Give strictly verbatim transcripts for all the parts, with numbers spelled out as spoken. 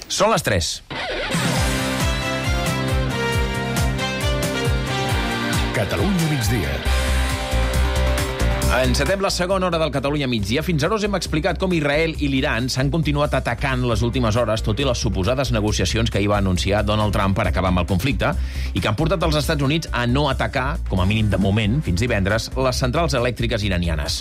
Són les tres. Catalunya migdia. Encetem la segona hora del Catalunya migdia. Fins ara us hem explicat com Israel i l'Iran s'han continuat atacant les últimes hores, tot i les suposades negociacions que hi va anunciar Donald Trump per acabar amb el conflicte i que han portat els Estats Units a no atacar, com a mínim de moment, fins divendres, les centrals elèctriques iranianes.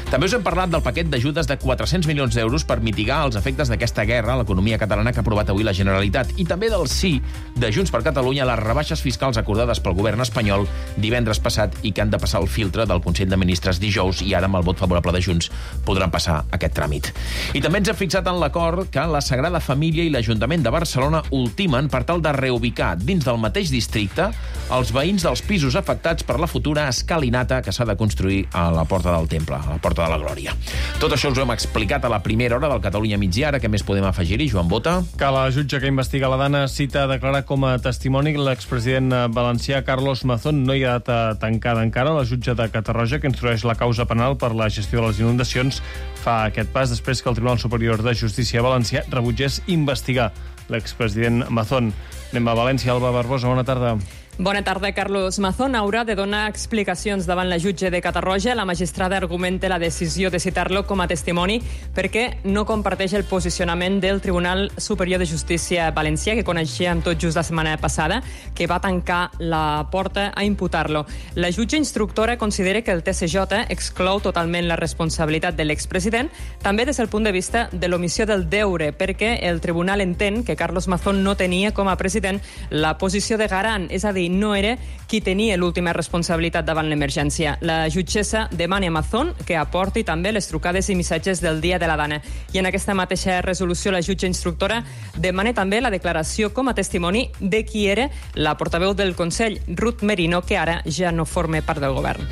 També us hem parlat del paquet d'ajudes de quatre-cents milions d'euros per mitigar els efectes d'aquesta guerra a l'economia catalana que ha aprovat avui la Generalitat i també del sí de Junts per Catalunya a les rebaixes fiscals acordades pel govern espanyol divendres passat i que han de passar el filtre del Consell de Ministres dijous i ara amb el vot favorable de Junts podran passar aquest tràmit. I també ens hem fixat en l'acord que la Sagrada Família i l'Ajuntament de Barcelona ultimen per tal de reubicar dins del mateix districte els veïns dels pisos afectats per la futura escalinata que s'ha de construir a la Porta del Temple, a la Porta de la Glòria. Tot això us ho hem explicat a la primera hora del Catalunya migdia. Ara què més podem afegir-hi, Joan Bota? Que la jutge que investiga la Dana cita a declarar com a testimoni l'expresident valencià Carlos Mazón. No hi ha data tancada encara. La jutge de Catarroja, que instrueix la causa penal per la gestió de les inundacions, fa aquest pas després que el Tribunal Superior de Justícia valencià rebutgés investigar l'expresident Mazón. Anem a València. Alba Barbosa, bona tarda. Bona tarda. Carlos Mazón haurà de donar explicacions davant la jutge de Catarroja. La magistrada argumenta la decisió de citar-lo com a testimoni perquè no comparteix el posicionament del Tribunal Superior de Justícia valencià, que coneixíem tot just la setmana passada, que va tancar la porta a imputar-lo. La jutge instructora considera que el T C J exclou totalment la responsabilitat de l'expresident, també des del punt de vista de l'omissió del deure, perquè el tribunal entén que Carlos Mazón no tenia com a president la posició de garant, és a dir, no era qui tenia l'última responsabilitat davant l'emergència. La jutgessa demana a Mazón que aporti també les trucades i missatges del dia de la Dana. I en aquesta mateixa resolució la jutge instructora demana també la declaració com a testimoni de qui era la portaveu del Consell, Ruth Merino, que ara ja no forma part del govern.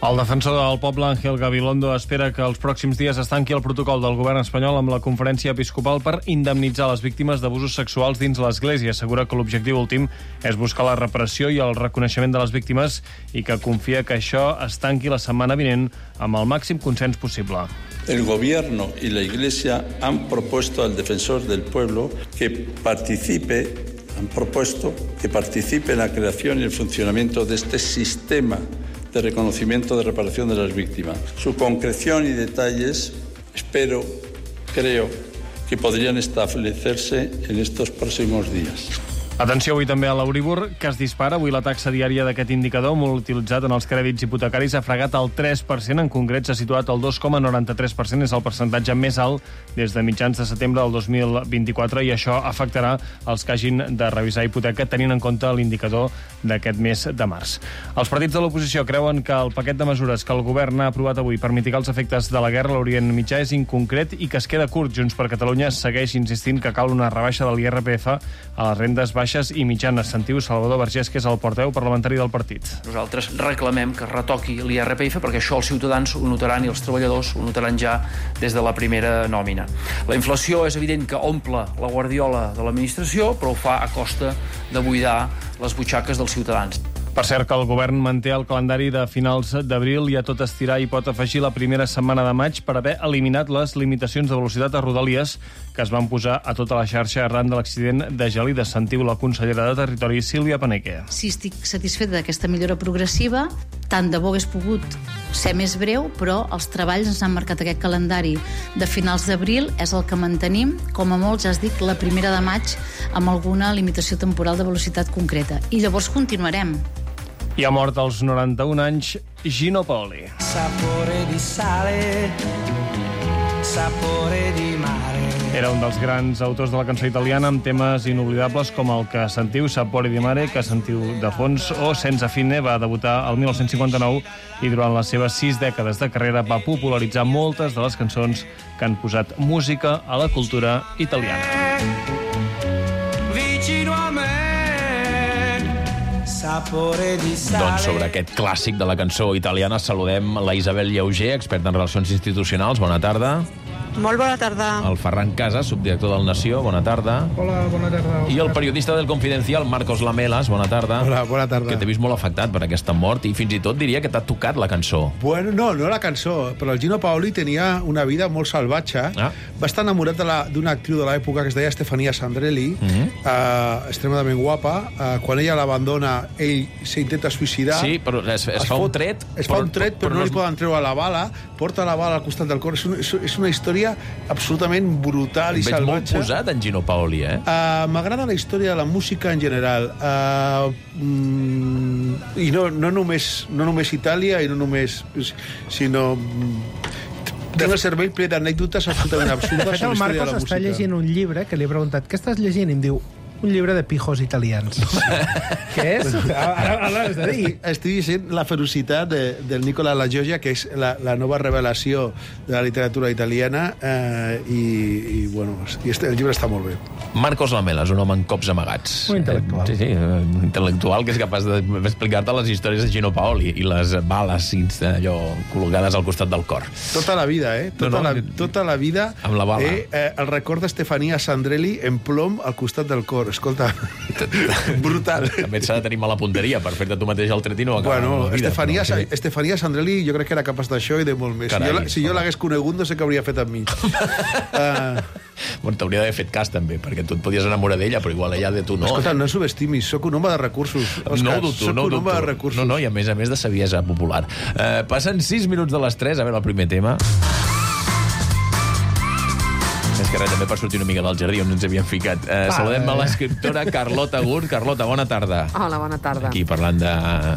El defensor del poble, Ángel Gabilondo, espera que els pròxims dies es tanqui el protocol del govern espanyol amb la conferència episcopal per indemnitzar les víctimes d'abusos sexuals dins l'Església. Assegura que l'objectiu últim és buscar la reparació i el reconeixement de les víctimes i que confia que això es tanqui la setmana vinent amb el màxim consens possible. El gobierno y la Iglesia han propuesto al defensor del pueblo que participe, han propuesto que participe en la creación y el funcionamiento de este sistema de reconocimiento de reparación de las víctimas. Su concreción y detalles, espero, creo, que podrían establecerse en estos próximos días. Atenció avui també a l'Euríbor, que es dispara. Avui la taxa diària d'aquest indicador, molt utilitzat en els crèdits hipotecaris, ha fregat el tres per cent. En concret, s'ha situat al dos coma noranta-tres per cent. És el percentatge més alt des de mitjans de setembre del dos mil vint-i-quatre i això afectarà els que hagin de revisar hipoteca tenint en compte l'indicador d'aquest mes de març. Els partits de l'oposició creuen que el paquet de mesures que el govern ha aprovat avui per mitigar els efectes de la guerra a l'Orient Mitjà és inconcret i que es queda curt. Junts per Catalunya segueix insistint que cal una rebaixa de l'I R P F a les rendes baixes i mitjanes. Sentiu Salvador Vergés, que és el portaveu parlamentari del partit. Nosaltres reclamem que es retoqui l'I R P F perquè això els ciutadans ho notaran i els treballadors ho notaran ja des de la primera nòmina. La inflació és evident que omple la guardiola de l'administració, però ho fa a costa de buidar les butxaques dels ciutadans. Per cert, que el govern manté el calendari de finals d'abril i a tot estirar hi pot afegir la primera setmana de maig per haver eliminat les limitacions de velocitat a Rodalies que es van posar a tota la xarxa arran de l'accident de Gelida. Sentiu la consellera de Territori, Sílvia Paneque. Sí, estic satisfeta d'aquesta millora progressiva. Tant de bo hagués pogut ser més breu, però els treballs ens han marcat aquest calendari de finals d'abril, és el que mantenim, com a molt, ja es dic, la primera de maig, amb alguna limitació temporal de velocitat concreta. I llavors continuarem. I ha mort als noranta-un anys Gino Paoli. Sapore di sale, sapore di mare. Era un dels grans autors de la cançó italiana amb temes inoblidables com el que sentiu, Sapore di mare, que sentiu de fons, o Senza fine. Va debutar el dinou cinquanta-nou i durant les seves sis dècades de carrera va popularitzar moltes de les cançons que han posat música a la cultura italiana. Vicino a me. Doncs sobre aquest clàssic de la cançó italiana saludem la Isabel Llauger, experta en relacions institucionals. Bona tarda. Molt bona tarda. El Ferran Casas, subdirector del Nació, bona tarda. Hola, bona tarda. I el periodista del Confidencial, Marcos Lamelas, bona tarda. Hola, bona tarda. Que t'he vist molt afectat per aquesta mort i fins i tot diria que t'ha tocat la cançó. Bueno, no, no la cançó, però el Gino Paoli tenia una vida molt salvatge. Ah. Va estar enamorat d'una actriu de l'època que es deia Stefania Sandrelli, mm -hmm. uh, extremadament guapa. Uh, quan ella l'abandona, ell s'intenta suïcidar. Sí, però es, es, es fa fot, un tret... Es fa però, un tret, però, però no, no li poden treure la bala. Porta la bala al costat del cor. És una, és una història absolutament brutal i Veig salvatge. molt posat en Gino Paoli, eh? Uh, M'agrada la història de la música en general. Uh, mm, I no, no, només, no només Itàlia, i no només... sinó... Tinc el cervell ple d'anècdotes absolutament absurdes de fet, sobre la història de la Marcos música. està llegint un llibre que li he preguntat què estàs llegint? I em diu, un llibre de pijos italians. Què és? Ara, ara has de dir. Estic, estic dient La ferocitat de, del Nicola La Gioia, que és la, la nova revelació de la literatura italiana, eh, i, i, bueno, i este, el llibre està molt bé. Marcos Lamelas, un home amb cops amagats. Un intel·lectual. Eh, sí, sí, un intel·lectual que és capaç d'explicar-te les històries de Gino Paoli i les bales allò col·locades al costat del cor. Tota la vida, eh? Tota, No, no, la, tota la vida... amb la bala. Eh, eh, el record d'Estefania Sandrelli en plom al costat del cor. Escolta, brutal. També s'ha de tenir mala punteria per fer-te tu mateix el tret i no acabar Bueno, la vida. Estefania, però, sí. Estefania Sandrelli jo crec que era capaç d'això i de molt més. Carai, si jo, si jo l'hagués conegut no sé què hauria fet amb mi. uh, Bueno, t'hauria d'haver fet cas també, perquè tu et podies enamorar d'ella, però igual ella de tu no. Escolta, no subestimis, sóc un home de recursos. Òscar, No ho dubto, sóc no ho un home de dubto. recursos. No, no, i a més a més de saviesa popular. Uh, passen sis minuts de les tres, a veure el primer tema. Més que res, també per sortir una mica del jardí on ens havíem ficat. Uh, saludem a l'escriptora Carlota Gurt. Carlota, bona tarda. Hola, bona tarda. Aquí parlant de...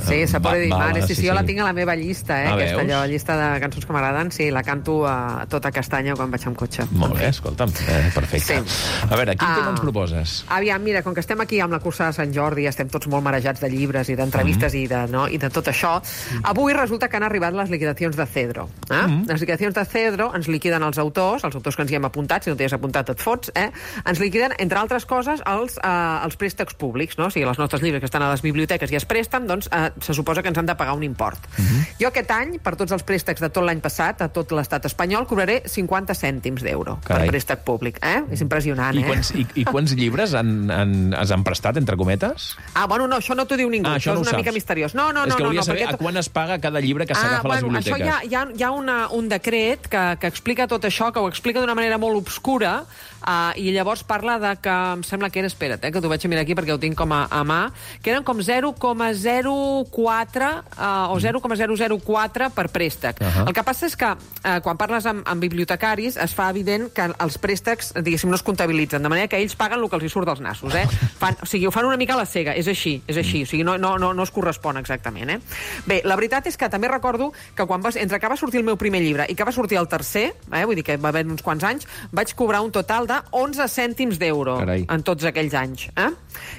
Sí, Sapore di mare. Sí, sí, sí, jo sí. la tinc a la meva llista, eh? Ah, Aquesta veus? allò, llista de cançons que m'agraden. Sí, la canto a tota castanya quan vaig amb cotxe. Molt bé, escolta'm, eh, perfecte. Sí. A veure, quin Ah. tema ens proposes? Aviam, mira, com que estem aquí amb la cursa de Sant Jordi, estem tots molt marejats de llibres i d'entrevistes Mm. i, de, no, i de tot això, avui resulta que han arribat les liquidacions de Cedro. Eh? Mm. Les liquidacions de Cedro ens liquiden els autors, els autors que ens hi hem apuntat, si no t'hi has apuntat et fots, eh? Ens liquiden, entre altres coses, els, eh, els préstecs públics, no? O sigui, els nostres llibres que estan a les biblioteques i es presten, doncs eh, se suposa que ens han de pagar un import. Mm-hmm. Jo aquest any, per tots els préstecs de tot l'any passat, a tot l'estat espanyol, cobraré cinquanta cèntims d'euro per Carai. préstec públic. Eh? És impressionant, I eh? quants, i, i quants llibres han, han, es han prestat, entre cometes? Ah, bueno, no, això no t'ho diu ningú. Ah, això això no és ho una saps. mica misteriós. No, no, És no, que no, volia no, saber perquè... a quan es paga cada llibre que Ah, s'agafa a les bueno, biblioteques. això hi ha, hi ha, hi ha una, un decret que, que explica tot això, que ho explica d'una manera molt obscura, uh, i llavors parla de que, em sembla que era, espera't, eh, que t'ho vaig a mirar aquí perquè ho tinc com a, a mà, que eren com zero coma zero quatre uh, o zero coma zero zero quatre per préstec. Uh -huh. El que passa és que uh, quan parles amb, amb bibliotecaris es fa evident que els préstecs, diguéssim, no es comptabilitzen, de manera que ells paguen el que els hi surt dels nassos, eh? Fan, o sigui, ho fan una mica a la cega, és així, és així, o sigui, no, no, no, no es correspon exactament, eh? Bé, la veritat és que també recordo que quan vas, entre que va sortir el meu primer llibre i que va sortir el tercer, eh, vull dir que va haver uns quants anys, vaig cobrar un total de onze cèntims d'euro en tots aquells anys. Eh?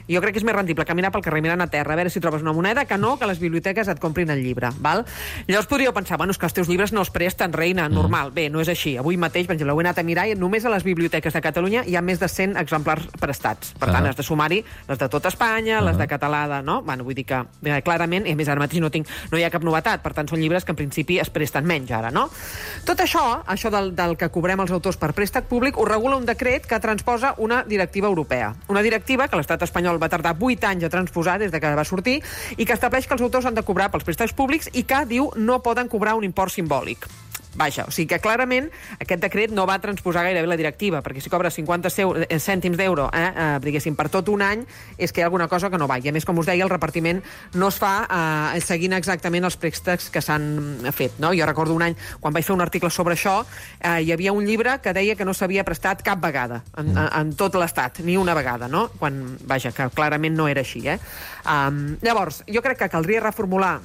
Jo crec que és més rendible caminar pel carrer mirant a terra, a veure si trobes una moneda, que no que les biblioteques et comprin el llibre. Val? Llavors podríeu pensar, bueno, és que els teus llibres no es presten, reina, normal. Bé, no és així. Avui mateix, per exemple, ho he anat a mirar i només a les biblioteques de Catalunya hi ha més de cent exemplars prestats. Per tant, Ah. has de sumar-hi les de tot Espanya, les de català, de, no? Bueno, vull dir que eh, clarament, a més ara mateix no, tinc, no hi ha cap novetat, per tant són llibres que en principi es presten menys ara, no? Tot això, això del, del que cobrem els autors per préstec públic, ho regula un decret que transposa una directiva europea. Una directiva que l'estat espanyol va tardar vuit anys a transposar des de que va sortir i que estableix que els autors han de cobrar pels préstecs públics i que, diu, no poden cobrar un import simbòlic. Vaja, o sigui que clarament aquest decret no va transposar gairebé la directiva, perquè si cobres cinquanta cèntims d'euro, eh, eh, diguéssim, per tot un any, és que hi ha alguna cosa que no va. I a més, com us deia, el repartiment no es fa eh, seguint exactament els préstecs que s'han fet, no? Jo recordo un any, quan vaig fer un article sobre això, eh, hi havia un llibre que deia que no s'havia prestat cap vegada, en, en, en tot l'estat, ni una vegada, no? Quan, vaja, que clarament no era així, eh? Um, llavors, jo crec que caldria reformular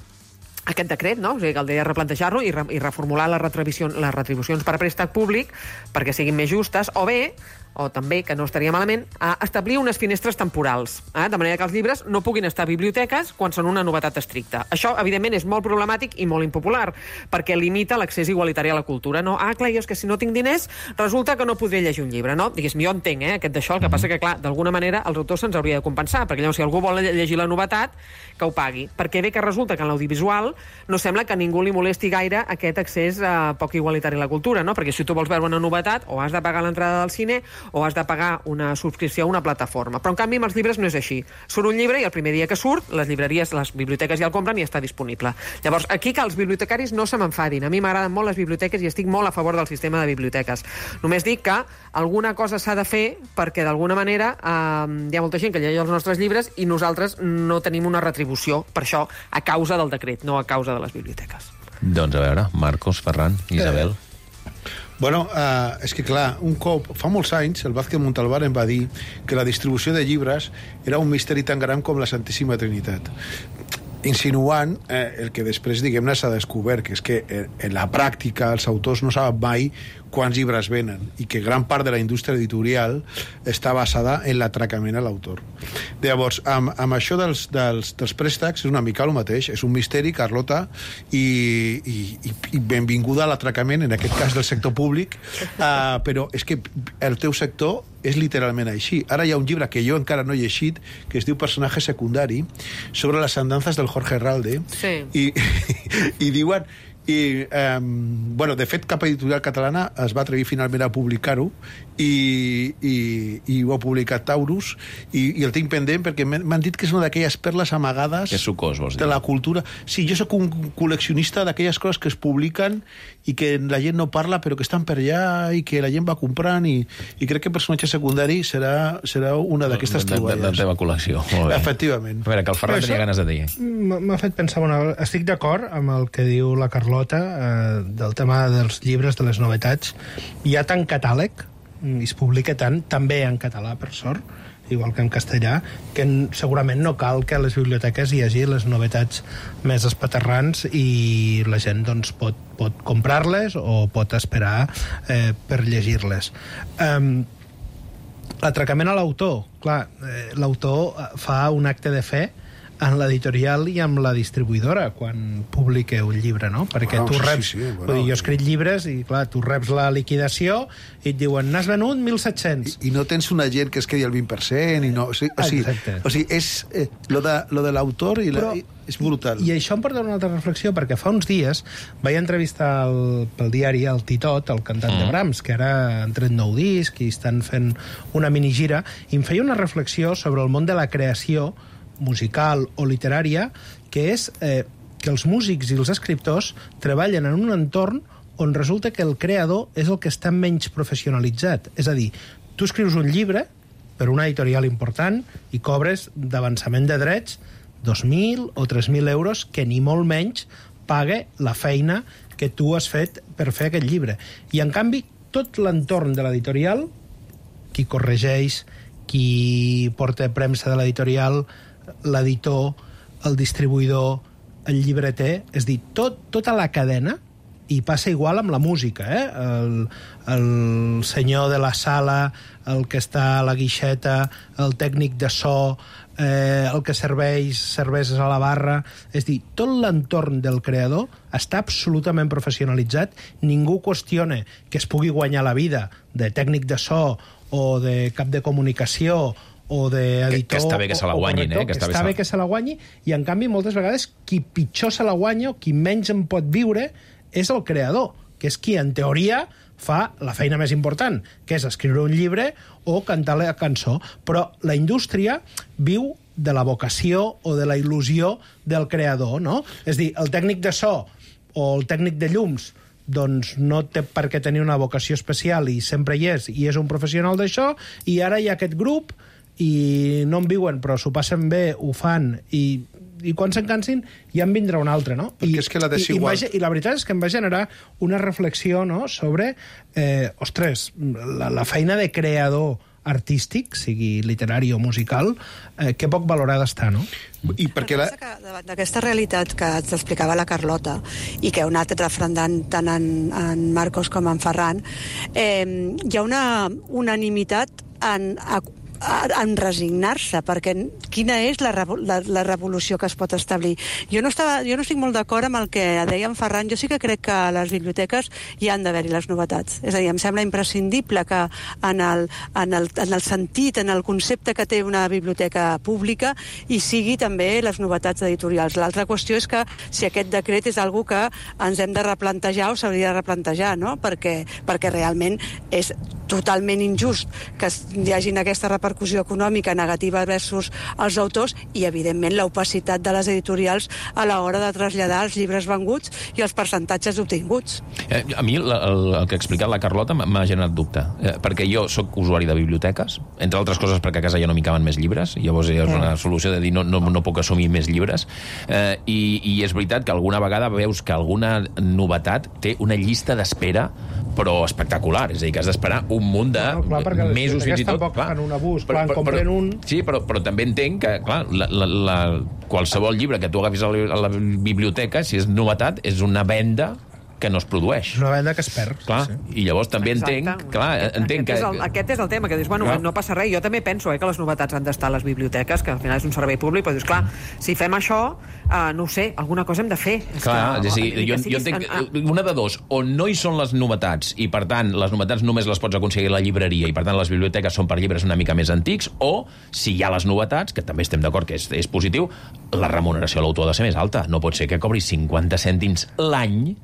aquest decret, no? O sigui, caldria replantejar-lo i, re i reformular les retribucions, les retribucions per a préstec públic perquè siguin més justes, o bé o també, que no estaria malament, a establir unes finestres temporals, eh? de manera que els llibres no puguin estar a biblioteques quan són una novetat estricta. Això, evidentment, és molt problemàtic i molt impopular, perquè limita l'accés igualitari a la cultura. No? Ah, clar, jo és que si no tinc diners, resulta que no podré llegir un llibre, no? Diguéssim, jo entenc, eh, aquest d'això, el que passa que, clar, d'alguna manera els autors se'ns hauria de compensar, perquè llavors si algú vol llegir la novetat, que ho pagui. Perquè bé que resulta que en l'audiovisual no sembla que a ningú li molesti gaire aquest accés eh, poc igualitari a la cultura, no? Perquè si tu vols veure una novetat, o has de pagar l'entrada del cine, o has de pagar una subscripció a una plataforma. Però, en canvi, amb els llibres no és així. Surt un llibre i el primer dia que surt, les llibreries, les biblioteques ja el compren i està disponible. Llavors, aquí que els bibliotecaris no se m'enfadin. A mi m'agraden molt les biblioteques i estic molt a favor del sistema de biblioteques. Només dic que alguna cosa s'ha de fer perquè, d'alguna manera, eh, hi ha molta gent que llegeix els nostres llibres i nosaltres no tenim una retribució per això a causa del decret, no a causa de les biblioteques. Doncs a veure, Marcos, Ferran, Isabel... Eh. Bueno, uh, és que clar, un cop, fa molts anys, el Vázquez Montalbán em va dir que la distribució de llibres era un misteri tan gran com la Santíssima Trinitat, insinuant eh, el que després, diguem-ne, s'ha descobert, que és que eh, en la pràctica els autors no saben mai quants llibres venen i que gran part de la indústria editorial està basada en l'atracament a l'autor. Llavors, amb, amb això dels, dels, dels préstecs és una mica el mateix, és un misteri, Carlota, i, i, i benvinguda a l'atracament, en aquest cas del sector públic, uh, però és que el teu sector és literalment així. Ara hi ha un llibre que jo encara no he llegit, que es diu Personatge secundari, sobre les andances del Jorge Herralde, sí. i, i diuen... I, eh, bueno, de fet, cap editorial catalana es va atrevir finalment a publicar-ho i, i, i ho ha publicat Taurus i, i el tinc pendent perquè m'han dit que és una d'aquelles perles amagades que sucós, vols dir? De la cultura. Sí, jo sóc un col·leccionista d'aquelles coses que es publiquen i que la gent no parla però que estan per allà i que la gent va comprant i, i crec que Personatge secundari serà, serà una d'aquestes troballes. De la teva col·lecció, molt bé. Efectivament. A veure, que el Ferran tenia ganes de dir. M'ha fet pensar, bueno, estic d'acord amb el que diu la Carlota eh, del tema dels llibres, de les novetats. Hi ha tant catàleg, i es publica tant, també en català, per sort, igual que en castellà, que segurament no cal que a les biblioteques hi hagi les novetats més espaterrants i la gent doncs, pot, pot comprar-les o pot esperar eh, per llegir-les. Um, L'atracament a l'autor. Clar, eh, l'autor fa un acte de fe en l'editorial i amb la distribuïdora quan publica un llibre, no? Perquè wow, tu reps... Sí, sí, bueno, vull dir, jo escric llibres i, clar, tu reps la liquidació i et diuen, n'has venut mil set-cents. I, I no tens un agent que es quedi al vint per cent i no... O sigui, o sigui, o sigui és... Eh, lo de, lo de l'autor i la, Però, és brutal. I això em porta a una altra reflexió, perquè fa uns dies vaig entrevistar el, pel diari el Titot, el cantant mm. de Brahms, que ara han tret nou disc i estan fent una minigira, i em feia una reflexió sobre el món de la creació musical o literària, que és eh, que els músics i els escriptors treballen en un entorn on resulta que el creador és el que està menys professionalitzat. És a dir, tu escrius un llibre per una editorial important i cobres d'avançament de drets dos mil o tres mil euros que ni molt menys paga la feina que tu has fet per fer aquest llibre. I, en canvi, tot l'entorn de l'editorial, qui corregeix, qui porta premsa de l'editorial, l'editor, el distribuïdor, el llibreter, és dir, tot, tota la cadena, i passa igual amb la música, eh? El, el senyor de la sala, el que està a la guixeta, el tècnic de so, eh, el que serveix cerveses a la barra, és dir, tot l'entorn del creador està absolutament professionalitzat, ningú qüestiona que es pugui guanyar la vida de tècnic de so o de cap de comunicació o d'editor... Que, que està bé que se la guanyin, eh? Que està, està bé que se la guanyi, i en canvi moltes vegades qui pitjor se la guanya o qui menys en pot viure és el creador, que és qui en teoria fa la feina més important, que és escriure un llibre o cantar la cançó. Però la indústria viu de la vocació o de la il·lusió del creador, no? És dir, el tècnic de so o el tècnic de llums doncs no té per què tenir una vocació especial i sempre hi és, i és un professional d'això, i ara hi ha aquest grup i no en viuen, però s'ho passen bé, ho fan, i, i quan se'n cansin ja en vindrà un altre, no? I, és que la desigual... i, i, I la veritat és que em va generar una reflexió, no?, sobre, eh, ostres, la, la feina de creador artístic, sigui literari o musical, eh, que poc valorada està, no? I perquè la... davant d'aquesta realitat que ens explicava la Carlota i que heu anat refrendant tant en, en Marcos com en Ferran, eh, hi ha una unanimitat en, en resignar-se, perquè quina és la, la, la revolució que es pot establir. Jo no, estava, jo no estic molt d'acord amb el que deia en Ferran. Jo sí que crec que a les biblioteques hi han d'haver-hi les novetats. És a dir, em sembla imprescindible que en el, en, el, en el sentit, en el concepte que té una biblioteca pública, hi sigui també les novetats editorials. L'altra qüestió és que si aquest decret és algo que ens hem de replantejar o s'hauria de replantejar, no? Perquè, perquè realment és totalment injust que hi hagi aquesta repercussió econòmica negativa versus els autors i, evidentment, l'opacitat de les editorials a l'hora de traslladar els llibres venguts i els percentatges obtinguts. Eh, a mi el, el, el que ha explicat la Carlota m'ha generat dubte, eh, perquè jo sóc usuari de biblioteques, entre altres coses perquè a casa ja no m'hi caben més llibres, i llavors és una solució de dir no, no, no puc assumir més llibres, eh, i, i és veritat que alguna vegada veus que alguna novetat té una llista d'espera però espectacular, és a dir, que has d'esperar un munt de no, clar, mesos fins i tot. Tampoc fan un abús, però, clar, en compren però, un... Sí, però, però també entenc que, clar, la, la, la, qualsevol llibre que tu agafis a la, a la biblioteca, si és novetat, és una venda que no es produeix. Una venda que es perd. Clar, sí. I llavors també Exacte. entenc... Clar, entenc aquest, que... és el, aquest és el tema, que dius, bueno, clar. no passa res. Jo també penso eh, que les novetats han d'estar a les biblioteques, que al final és un servei públic, però dius, clar, si fem això, uh, no ho sé, alguna cosa hem de fer. És clar, que, és dir, jo, jo entenc en, una de dos, o no hi són les novetats, i per tant, les novetats només les pots aconseguir a la llibreria, i per tant les biblioteques són per llibres una mica més antics, o, si hi ha les novetats, que també estem d'acord que és, és positiu, la remuneració a l'autor ha de ser més alta. No pot ser que cobri cinquanta cèntims l'any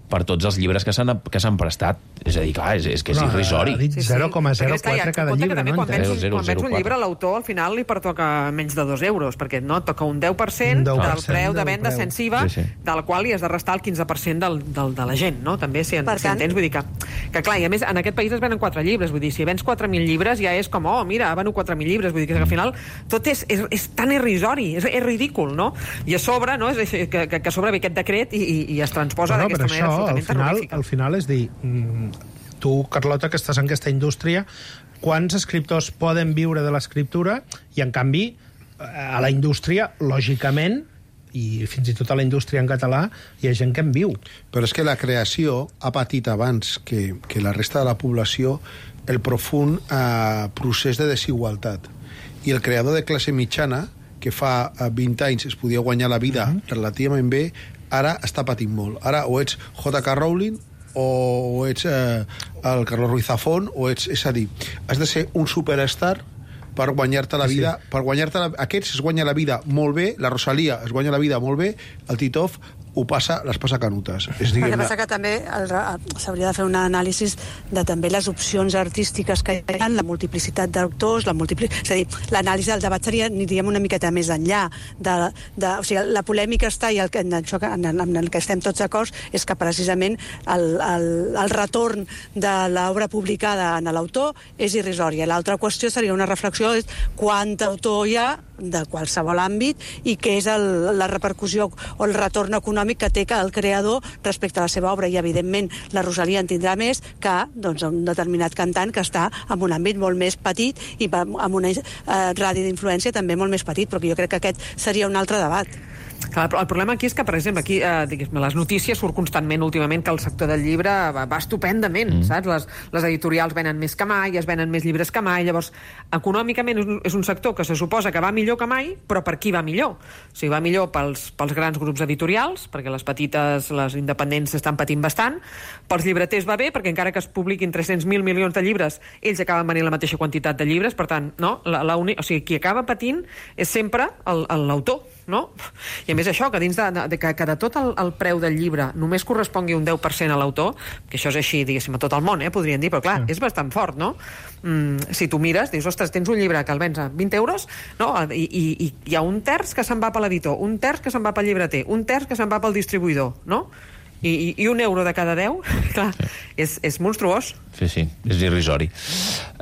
per tots els llibres que s'han que s'han prestat. És a dir, clar, és, és que és no, irrisori. Ha dit zero coma zero quatre cada llibre, no? Quan vens un, un llibre, l'autor al final li pertoca menys de dos euros, perquè no toca un deu per cent del preu de venda sense I V A, sí, sí. del qual li has de restar el quinze per cent del, del, de la gent, no? També, si, en, si entens, vull dir que, que clar, i a més, en aquest país es venen quatre llibres, vull dir, si vens quatre mil llibres ja és com, oh, mira, veno quatre mil llibres, vull dir que al final tot és, és, és tan irrisori, és, és ridícul, no? I a sobre, no? És, que, que, que a sobre ve aquest decret i, i, i es transposa bueno, d'aquesta manera absolutament terrorífica. Al final és dir, tu, Carlota, que estàs en aquesta indústria, quants escriptors poden viure de l'escriptura i, en canvi, a la indústria, lògicament, i fins i tot a la indústria en català, hi ha gent que en viu. Però és que la creació ha patit abans que, que la resta de la població el profund eh, procés de desigualtat. I el creador de classe mitjana, que fa vint anys es podia guanyar la vida uh-huh. relativament bé, ara està patint molt. Ara o ets J K Rowling o ets eh, el Carlos Ruiz Zafón, o ets, és a dir, has de ser un superstar per guanyar-te la vida, sí. per guanyar-te la... Aquests es guanya la vida molt bé, la Rosalia es guanya la vida molt bé, el Titov ho passa, les passa canutes. És, el que passa que també s'hauria de fer un anàlisi de també les opcions artístiques que hi ha, la multiplicitat d'autors, la multipli... és a dir, l'anàlisi del debat seria, aniríem una miqueta més enllà. De, de, o sigui, la polèmica està, i el que, en, això, en, en el que estem tots d'acord, és que precisament el, el, el retorn de l'obra publicada en l'autor és irrisòria. L'altra qüestió seria una reflexió és quant autor hi ha de qualsevol àmbit i què és el, la repercussió o el retorn econòmic que té el creador respecte a la seva obra, i evidentment la Rosalia en tindrà més que doncs, un determinat cantant que està en un àmbit molt més petit i amb una eh, ràdio d'influència també molt més petit, però jo crec que aquest seria un altre debat. Clar, el problema aquí és que, per exemple, aquí eh, diguem, les notícies surt constantment últimament que el sector del llibre va, va estupendament, mm. saps? Les, les editorials venen més que mai, es venen més llibres que mai, llavors, econòmicament és un, és un sector que se suposa que va millor que mai, però per qui va millor? O sigui, va millor pels, pels grans grups editorials, perquè les petites, les independents estan patint bastant, pels llibreters va bé, perquè encara que es publiquin tres-cents mil milions de llibres, ells acaben venint la mateixa quantitat de llibres, per tant, no? La, la uni... o sigui, qui acaba patint és sempre l'autor, no? I a més això, que dins de, de, que, que de tot el, el preu del llibre només correspongui un deu per cent a l'autor, que això és així, diguéssim, a tot el món, eh, podrien dir, però clar, sí. és bastant fort, no? Mm, si tu mires, dius, ostres, tens un llibre que el vens a vint euros, no? I, i, i hi ha un terç que se'n va per l'editor, un terç que se'n va pel llibreter, un terç que se'n va pel distribuïdor, no? I, i, i un euro de cada deu, clar, és, és monstruós. Sí, sí, és irrisori.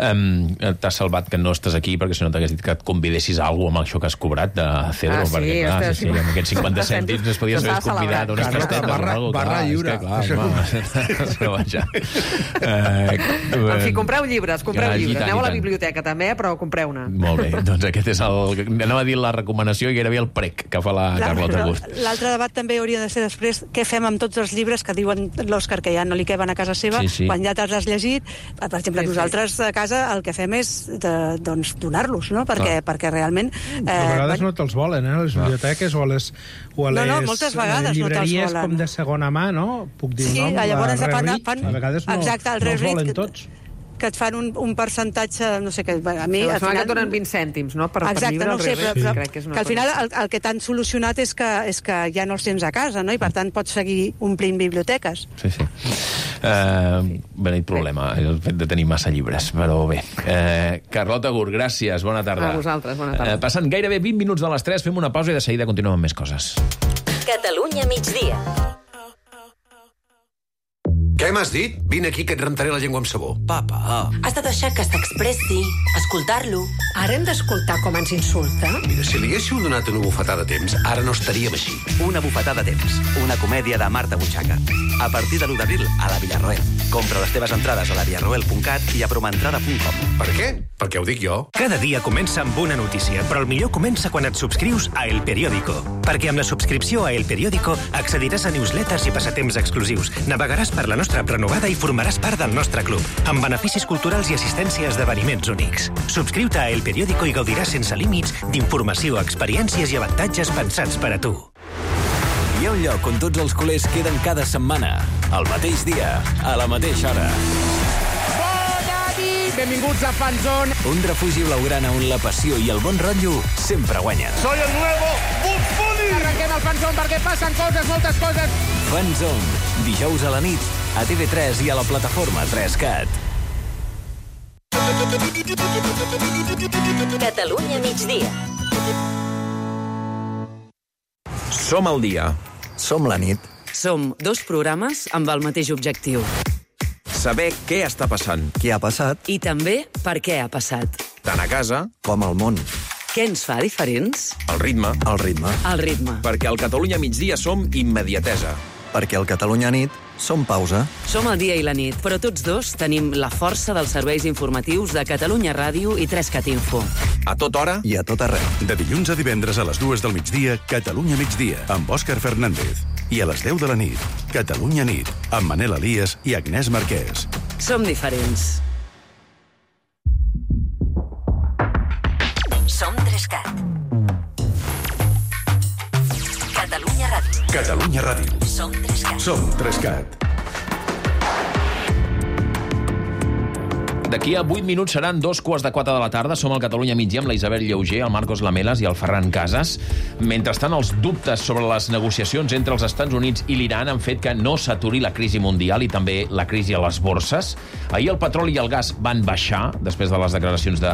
Um, T'has salvat que no estàs aquí, perquè si no t'hagués dit que et convidessis a alguna amb això que has cobrat de Cedro, Ah, sí, perquè, clar, ostres, sí, sí, amb aquests cinquanta cèntims es podies haver convidat unes Carlota, tastetes o barra- alguna cosa. barra Clar, lliure. és que, clar, home, però vaja. Uh, En fi, compreu llibres, compreu Ja, i llibres. tant, Aneu i a la tant. biblioteca també, però compreu-ne. Molt bé, doncs aquest és el... Anava a dir la recomanació i gairebé el prec que fa la Carlota Gust. L'altre debat també hauria de ser després què fem amb tots els llibres que diuen l'Òscar que ja no li queben a casa seva, Sí, sí. quan ja t'has llegit. Per exemple, Sí, sí. nosaltres a casa el que fem és de, doncs, donar-los, no? Perquè, perquè realment... Eh, a vegades no te'ls volen, eh? A les biblioteques o a les, o a les No, no, moltes vegades no te'ls llibreries volen. com de segona mà, no? Puc dir Sí, un nom? llavors la fan- Reread, fan- a vegades no, Exacte, el no els Reread volen que- tots. que et fan un, un percentatge, no sé què, a mi... Em al sembla que final- et donen vint cèntims, no? Per, per Exacte, llibre, no al ho sé, revés. però, però Crec que és una que al cosa final així. el, el que t'han solucionat és que, és que ja no els tens a casa, no? I per tant pots seguir omplint biblioteques. Sí, sí. Uh, Beneit problema, el fet de tenir massa llibres, però bé. Uh, Carlota Gurt, gràcies, bona tarda. A vosaltres, bona tarda. Uh, passant gairebé vint minuts de les tres, fem una pausa i de seguida continuem amb més coses. Catalunya migdia. Què m'has dit? Vine aquí que et rentaré la llengua amb sabó. Papa. Has de deixar que s'expressi, escoltar-lo. Ara hem d'escoltar com ens insulta? Mira, si li haguéssiu donat una bufetada a temps, ara no estaríem així. Una bufetada a temps, una comèdia de Marta Butxaca. A partir de l'u d'abril, a la Villarroel. Compra les teves entrades a la villarroel punt cat i a promentrada punt com. Per què? Perquè ho dic jo. Cada dia comença amb una notícia, però el millor comença quan et subscrius a El Periódico. Perquè amb la subscripció a El Periódico accediràs a newsletters i passatemps exclusius, navegaràs per la nostra app renovada i formaràs part del nostre club, amb beneficis culturals i assistència a esdeveniments únics. Subscriu-te a El Periódico i gaudiràs sense límits d'informació, experiències i avantatges pensats per a tu. Hi ha un lloc on tots els culers queden cada setmana, al mateix dia, a la mateixa hora. Bona nit! Benvinguts a Fanzone. Un refugi blaugrana on la passió i el bon rotllo sempre guanyen. Soy el nuevo Bugs Bunny! Arrenquem el Fanzone perquè passen coses, moltes coses. Fanzone, dijous a la nit, a T V tres i a la plataforma tres cat. Catalunya migdia. Som al dia. Som la nit. Som dos programes amb el mateix objectiu. Saber què està passant. Què ha passat. I també per què ha passat. Tant a casa com al món. Què ens fa diferents? El ritme. El ritme. El ritme. Perquè al Catalunya migdia som immediatesa. Perquè al Catalunya nit som pausa. Som el dia i la nit, però tots dos tenim la força dels serveis informatius de Catalunya Ràdio i tres cat Info. A tota hora i a tot arreu. De dilluns a divendres a les dues del migdia, Catalunya migdia, amb Òscar Fernández. I a les deu de la nit, Catalunya nit, amb Manel Elias i Agnès Marquès. Som diferents. Som tres cat. Catalunya Ràdio. Catalunya Ràdio. Som tres cat. Som tres cat. D'aquí a vuit minuts seran dos quarts de quatre de la tarda. Som al Catalunya migdia amb la Isabel Lleuger, el Marcos Lamelas i el Ferran Casas. Mentrestant, els dubtes sobre les negociacions entre els Estats Units i l'Iran han fet que no s'aturi la crisi mundial i també la crisi a les borses. Ahir el petroli i el gas van baixar després de les declaracions de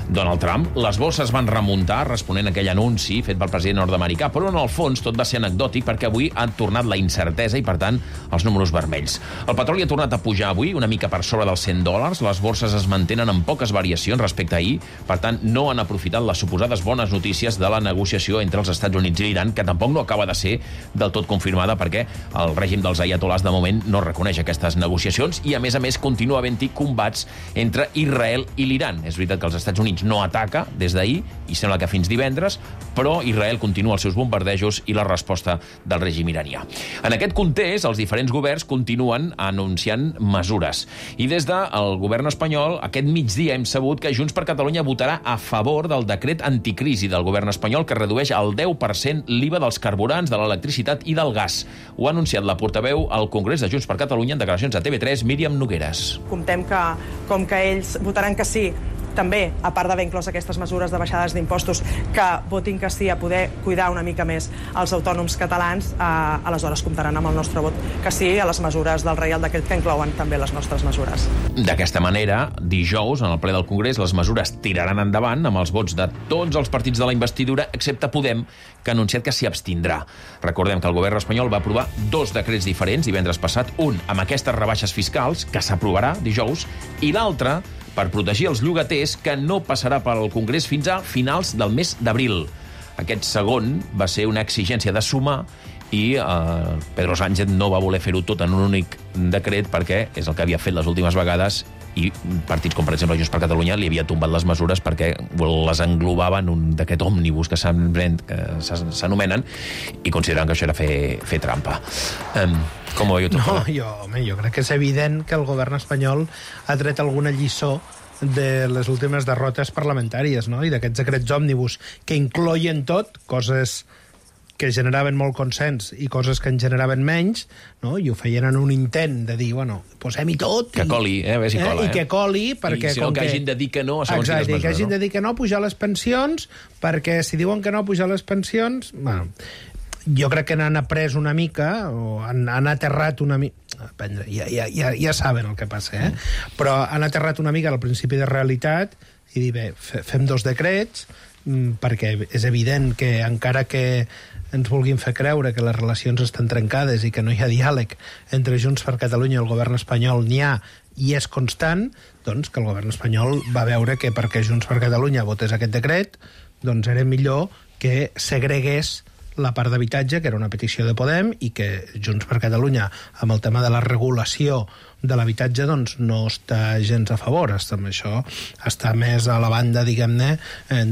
Donald Trump. Les borses van remuntar responent a aquell anunci fet pel president nord-americà, però en el fons tot va ser anecdòtic perquè avui han tornat la incertesa i, per tant, els números vermells. El petroli ha tornat a pujar avui, una mica per sobre dels cent dòlars. Les borses es mantenen amb poques variacions respecte a ahir, per tant, no han aprofitat les suposades bones notícies de la negociació entre els Estats Units i l'Iran, que tampoc no acaba de ser del tot confirmada perquè el règim dels aiatolars de moment no reconeix aquestes negociacions i, a més a més, continua havent-hi combats entre Israel i l'Iran. És veritat que els Estats Units no ataca des d'ahir, i sembla que fins divendres, però Israel continua els seus bombardejos i la resposta del règim iranià. En aquest context, els diferents governs continuen anunciant mesures. I des del govern espanyol, aquest migdia hem sabut que Junts per Catalunya votarà a favor del decret anticrisi del govern espanyol que redueix al deu per cent l'I V A dels carburants, de l'electricitat i del gas. Ho ha anunciat la portaveu al Congrés de Junts per Catalunya en declaracions a T V tres, Míriam Nogueres. Comptem que, com que ells votaran que sí també, a part d'haver inclòs aquestes mesures de baixades d'impostos, que votin que sí a poder cuidar una mica més els autònoms catalans, eh, aleshores comptaran amb el nostre vot que sí a les mesures del Reial Decret que inclouen també les nostres mesures. D'aquesta manera, dijous, en el ple del Congrés, les mesures tiraran endavant amb els vots de tots els partits de la investidura, excepte Podem, que ha anunciat que s'hi abstindrà. Recordem que el govern espanyol va aprovar dos decrets diferents divendres passat, un amb aquestes rebaixes fiscals, que s'aprovarà dijous, i l'altre per protegir els llogaters, que no passarà pel Congrés fins a finals del mes d'abril. Aquest segon va ser una exigència de sumar i eh, Pedro Sánchez no va voler fer-ho tot en un únic decret perquè és el que havia fet les últimes vegades i partits com, per exemple, Junts per Catalunya li havia tombat les mesures perquè les englobava en un decret òmnibus que s'anomenen i consideren que això era fer, fer trampa. Um, com ho veieu tot? No, jo, home, jo crec que és evident que el govern espanyol ha tret alguna lliçó de les últimes derrotes parlamentàries, no? I d'aquests decrets òmnibus que incloïen tot, coses que generaven molt consens i coses que en generaven menys, no? I ho feien en un intent de dir, bueno, posem-hi tot... Que coli, eh? A veure si cola, eh? I que coli, perquè... I si no, que, que hagin de dir que no a segons quines mesures, que hagin de dir que no a pujar les pensions, perquè si diuen que no a pujar les pensions... Bueno, jo crec que n'han après una mica, o han, han aterrat una mica... Ja, ja, ja, ja saben el que passa, eh? Mm. Però han aterrat una mica al principi de realitat i dir, bé, fem dos decrets, perquè és evident que encara que ens vulguin fer creure que les relacions estan trencades i que no hi ha diàleg entre Junts per Catalunya i el govern espanyol, n'hi ha i és constant, doncs que el govern espanyol va veure que perquè Junts per Catalunya votés aquest decret, doncs era millor que segregués la part d'habitatge, que era una petició de Podem, i que Junts per Catalunya, amb el tema de la regulació de l'habitatge, doncs no està gens a favor. Està, això està més a la banda, diguem-ne,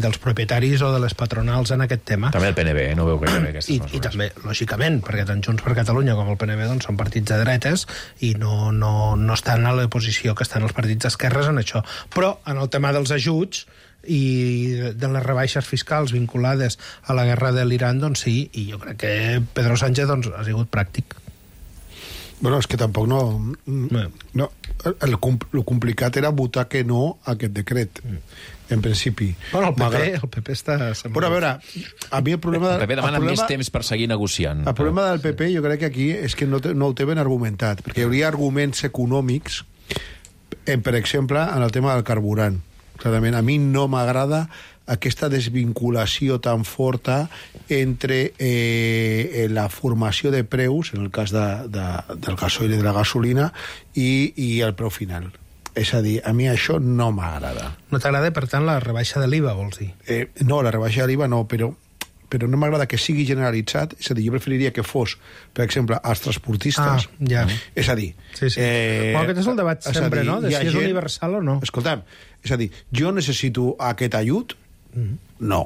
dels propietaris o de les patronals en aquest tema. També el P N B, eh? No veu que hi ha aquestes I, mesures. I també, lògicament, perquè tant Junts per Catalunya com el P N B doncs, són partits de dretes i no, no, no estan a la posició que estan els partits d'esquerres en això. Però en el tema dels ajuts i de les rebaixes fiscals vinculades a la guerra de l'Iran, doncs sí, i jo crec que Pedro Sánchez doncs, ha sigut pràctic. Bueno, és que tampoc no... no el, el complicat era votar que no a aquest decret, en principi. Bueno, el P P, el P P està... Bueno, a veure, a mi el problema... El P P demana el problema, més temps per seguir negociant. El problema del P P jo crec que aquí és que no, te, no ho té ben argumentat, perquè hi hauria arguments econòmics, en, per exemple, en el tema del carburant. Clarament, a mi no m'agrada aquesta desvinculació tan forta entre eh, la formació de preus, en el cas de, de, del gasoil i de la gasolina, i, i el preu final. És a dir, a mi això no m'agrada. No t'agrada, per tant, la rebaixa de l'I V A, vols dir? Eh, no, la rebaixa de l'I V A no, però però no m'agrada que sigui generalitzat, és a dir, jo preferiria que fos, per exemple, als transportistes. Ah, ja. És a dir... Sí, sí. Eh, bueno, aquest és el debat sempre, dir, no?, de si és gent... universal o no. Escolta'm, és a dir, jo necessito aquest ajut? Mm. No.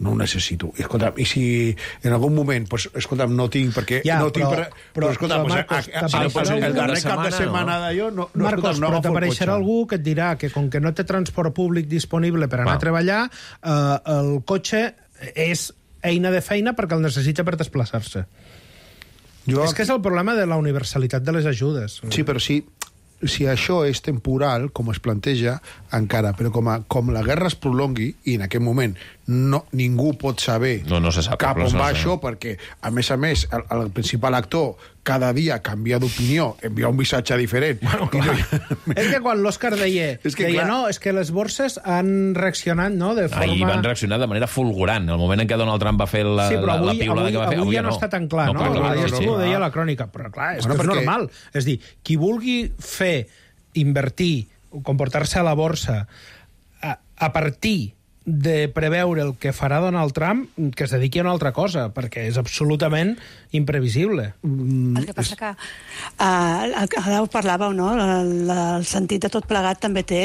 No ho necessito. Escolta'm, i si en algun moment, pues, escolta'm, no tinc, perquè... Ja, no però, tinc per... però, però, escolta'm, però Marcos, a, a, a, a, a, el darrer cap de setmana no? d'allò... No, no, Marcos, no però t'apareixerà algú que et dirà que com que no té transport públic disponible per anar Va. a treballar, eh, el cotxe és eina de feina perquè el necessita per desplaçar-se. Jo... És que és el problema de la universalitat de les ajudes. Sí, però sí, si això és temporal, com es planteja, encara, però com, a, com la guerra es prolongui, i en aquest moment no, ningú pot saber no, no se sap, cap on no va sé. això, perquè, a més a més, el, el principal actor cada dia canvia d'opinió, envia un missatge diferent. Bueno, clar. No... és que quan l'Òscar deia, és que, deia no, és que les borses han reaccionat, no?, de forma... Ahir van reaccionar de manera fulgurant. El moment en què Donald Trump va fer la, sí, però avui, la, la piulada avui, que va fer... Avui, avui ja no, no està tan clar, no? no, clar, clar, clar, sí, sí. Ho deia la crònica, però clar, és bueno, que és perquè... normal. És dir, qui vulgui fer, invertir, comportar-se a la borsa a, a partir de preveure el que farà Donald Trump, que es dediqui a una altra cosa, perquè és absolutament imprevisible. El que passa que uh, ara ho parlàveu, no? El, el sentit de tot plegat també té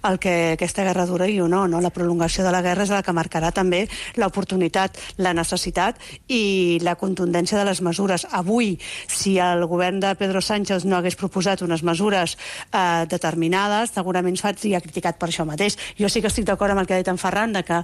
el que aquesta guerra dura i o no, no? La prolongació de la guerra és la que marcarà també l'oportunitat, la necessitat i la contundència de les mesures. Avui, si el govern de Pedro Sánchez no hagués proposat unes mesures uh, determinades, segurament seria criticat per això mateix. Jo sí que estic d'acord amb el que ha dit en Ferran, de que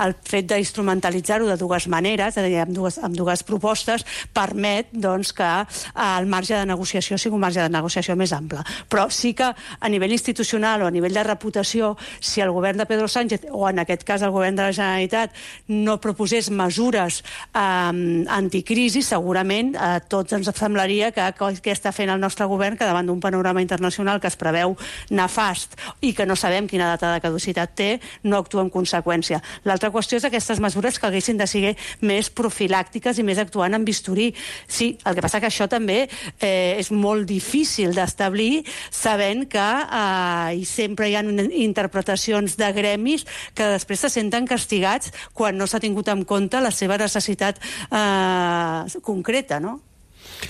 el fet d'instrumentalitzar-ho de dues maneres, és a dir, amb dues, amb dues propostes, permet doncs, que el marge de negociació sigui un marge de negociació més ample. Però sí que a nivell institucional o a nivell de reputació, si el govern de Pedro Sánchez, o en aquest cas el govern de la Generalitat, no proposés mesures eh, anticrisi, segurament a eh, tots ens semblaria que què està fent el nostre govern, que davant d'un panorama internacional que es preveu nefast i que no sabem quina data de caducitat té, no actua en conseqüència. L'altra qüestió és aquestes mesures que haguessin de ser més profilàctiques i més actuant en bisturí. Sí, el que passa que això també eh, és molt difícil d'establir, sabent que eh, i sempre hi ha interpretacions de gremis que després se senten castigats quan no s'ha tingut en compte la seva necessitat eh, concreta, no?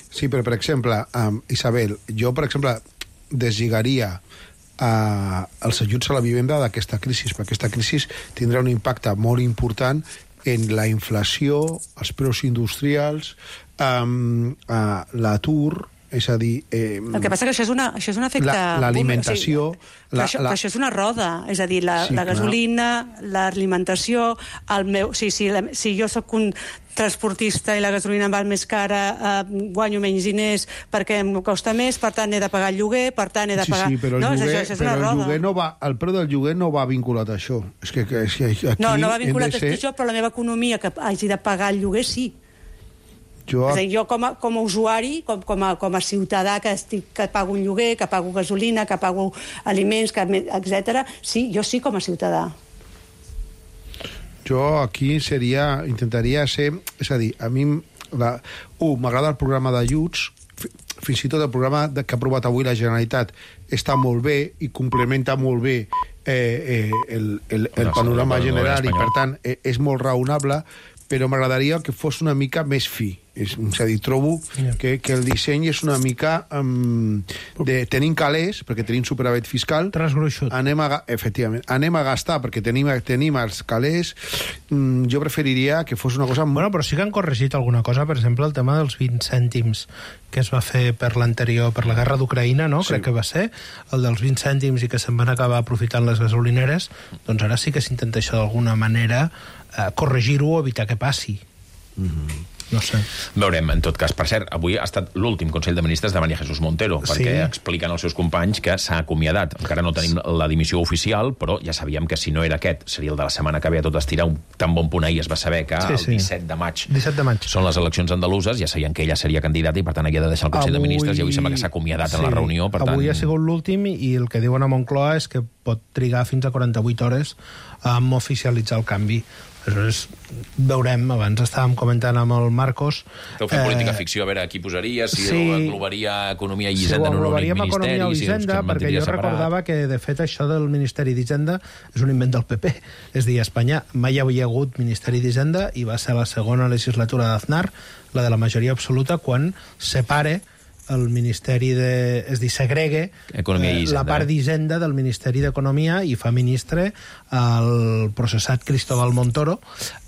Sí, però, per exemple, um, Isabel, jo, per exemple, deslligaria Uh, els ajuts a la vivenda d'aquesta crisi, perquè aquesta crisi tindrà un impacte molt important en la inflació, els preus industrials, um, uh, l'atur, és a dir... Eh, el que passa que això és, una, això és un efecte... L'alimentació... O sigui, la, això, la... això és una roda, és a dir, la, sí, la gasolina, l'alimentació, el meu... Sí, sí, la, si jo sóc un transportista i la gasolina em val més cara, eh, guanyo menys diners perquè em costa més, per tant he de pagar el lloguer, per tant he de pagar... Sí, sí, però el, no, lloguer, això, això però el, lloguer no va, el preu del lloguer no va vinculat a això. És que, que, és que aquí no, no va vinculat ser... a això, però la meva economia que hagi de pagar el lloguer sí. Jo, és a dir, jo com a, com a usuari, com, com, a, com a ciutadà que, estic, que pago un lloguer, que pago gasolina, que pago aliments, etcètera, sí, jo sí com a ciutadà. Jo aquí seria, intentaria ser, és a dir, a mi la, uh, m'agrada el programa d'ajuts, fins i tot el programa de, que ha aprovat avui la Generalitat està molt bé i complementa molt bé eh, eh, el, el, el panorama general i per tant eh, és molt raonable, però m'agradaria que fos una mica més fi. És, és a dir, trobo que, que el disseny és una mica um, de tenim calés, perquè tenim superàvit fiscal, anem a, efectivament, anem a gastar perquè tenim, tenim els calés. Mm, jo preferiria que fos una cosa... Bueno, però sí que han corregit alguna cosa, per exemple, el tema dels vint cèntims que es va fer per l'anterior, per la guerra d'Ucraïna, no? Sí. Crec que va ser, el dels vint cèntims i que se'n van acabar aprofitant les gasolineres, doncs ara sí que s'intenta això d'alguna manera eh, corregir-ho o evitar que passi. Mm-hmm. No sé. Veurem, en tot cas. Per cert, avui ha estat l'últim Consell de Ministres de María Jesús Montero, sí. perquè expliquen als seus companys que s'ha acomiadat. Encara no tenim la dimissió oficial, però ja sabíem que si no era aquest, seria el de la setmana que ve a tot estirar. Un tan bon punt ahir es va saber que sí, sí. el disset de maig disset de maig són les eleccions andaluses, ja sabien que ella seria candidata i per tant havia de deixar el Consell avui... de Ministres i avui sembla que s'ha acomiadat sí. en la reunió. Per avui tant... ha sigut l'últim i el que diuen a Moncloa és que pot trigar fins a quaranta-vuit hores a oficialitzar el canvi. Aleshores, veurem, abans estàvem comentant amb el Marcos... Esteu fent eh, política ficció, a veure qui posaria, si sí, englobaria Economia i Hisenda sí, en un únic ministeri... Economia i Hisenda, si perquè jo separat. Recordava que, de fet, això del Ministeri d'Hisenda és un invent del P P. És a dir, a Espanya mai hi havia hagut Ministeri d'Hisenda i va ser la segona legislatura d'Aznar, la de la majoria absoluta, quan separe el Ministeri de... és a dir, segregue eh, la part d'Hisenda del Ministeri d'Economia i fa ministre el processat Cristóbal Montoro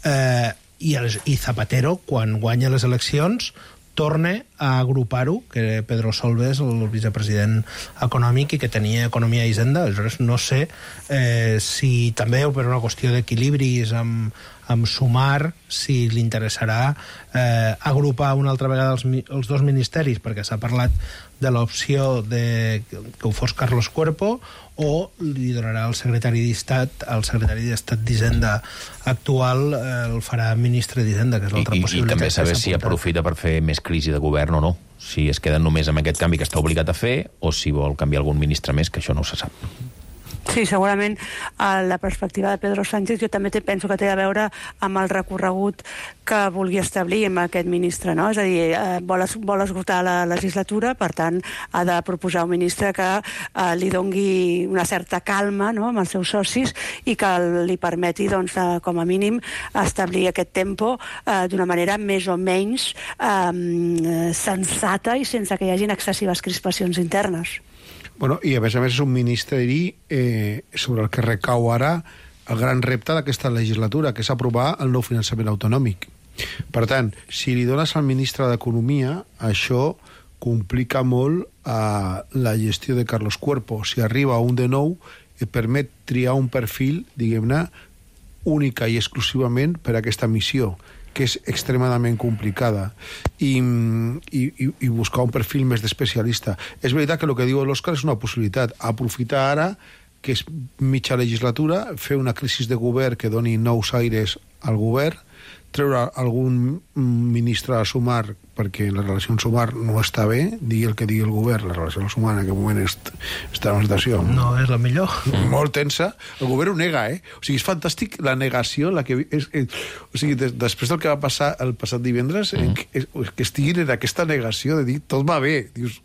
eh, i, el, i Zapatero, quan guanya les eleccions, torna a agrupar-ho, que Pedro Solbes, el vicepresident econòmic, i que tenia Economia i Hisenda. Aleshores, no sé eh, si també, per una qüestió d'equilibris amb, amb sumar, si li interessarà eh, agrupar una altra vegada els, els dos ministeris, perquè s'ha parlat de l'opció de que ho fos Carlos Cuerpo, o li donarà el secretari d'Estat, el secretari d'Estat d'Hisenda actual, eh, el farà ministre d'Hisenda, que és l'altra possibilitat. I també saber si aprofita per fer més crisi de govern o no. Si es queden només amb aquest canvi que està obligat a fer, o si vol canviar algun ministre més, que això no se sap. Sí, segurament a la perspectiva de Pedro Sánchez jo també penso que té a veure amb el recorregut que vulgui establir amb aquest ministre, no? És a dir, eh, vol, es, vol esgotar la legislatura, per tant ha de proposar un ministre que eh, li dongui una certa calma, no?, amb els seus socis i que li permeti, doncs, eh, com a mínim establir aquest tempo eh, d'una manera més o menys eh, sensata i sense que hi hagin excessives crispacions internes. Bueno, i a més a més és un ministeri eh, sobre el que recau ara el gran repte d'aquesta legislatura, que és aprovar el nou finançament autonòmic. Per tant, si li dones al ministre d'Economia, això complica molt eh, la gestió de Carlos Cuerpo. Si arriba un de nou, et permet triar un perfil, diguem-ne, única i exclusivament per a aquesta missió, que és extremadament complicada, i, i, i buscar un perfil més d'especialista. És veritat que el que diu l'Òscar és una possibilitat. Aprofitar ara, que és mitja legislatura, fer una crisi de govern que doni nous aires al govern, treure algun ministre a sumar, perquè la relació amb sumar no està bé, digui el que digui el govern, la relació amb sumar en aquest moment est, està en una situació no és la millor, molt tensa. El govern ho nega, eh? O sigui, és fantàstic la negació, la que és, és, o sigui, des, després del que va passar el passat divendres, mm. eh, que, que estiguin en aquesta negació de dir tot va bé, dius,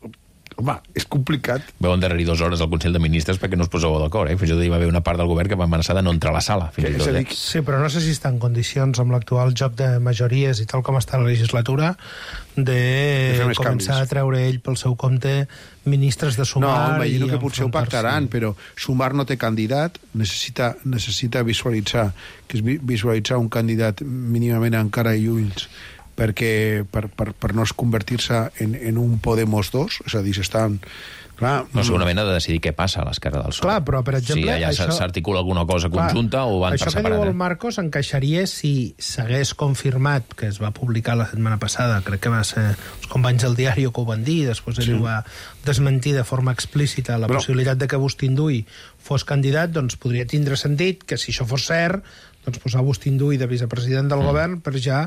home, és complicat. Veu endarrerir dues hores al Consell de Ministres perquè no us poseu d'acord, eh? Fins i tot hi va haver una part del govern que va amenaçar de no entrar a la sala. Fins i tot, eh? Sí, però no sé si està en condicions amb l'actual joc de majories i tal com està la legislatura de, de començar canvis. A treure ell pel seu compte ministres de Sumar. No, imagino que potser ho pactaran, però Sumar no té candidat, necessita, necessita visualitzar, que és visualitzar un candidat mínimament encara i ulls, perquè per, per, per no convertir-se en, en un Podemos dos, és a dir, s'estan... Clar, no, segurament ha de decidir què passa a l'esquerra del P S O E. Clar, però, per exemple... Si allà això... s'articula alguna cosa conjunta, clar, o van per separat. Això que diu el Marcos encaixaria si s'hagués confirmat, que es va publicar la setmana passada, crec que va ser els companys del diari que ho van dir, després ell sí. ho va desmentir de forma explícita, la però... possibilitat de que Agustín Duy fos candidat, doncs podria tindre sentit que si això fos cert, doncs posar Agustín Duy de vicepresident del mm. govern per ja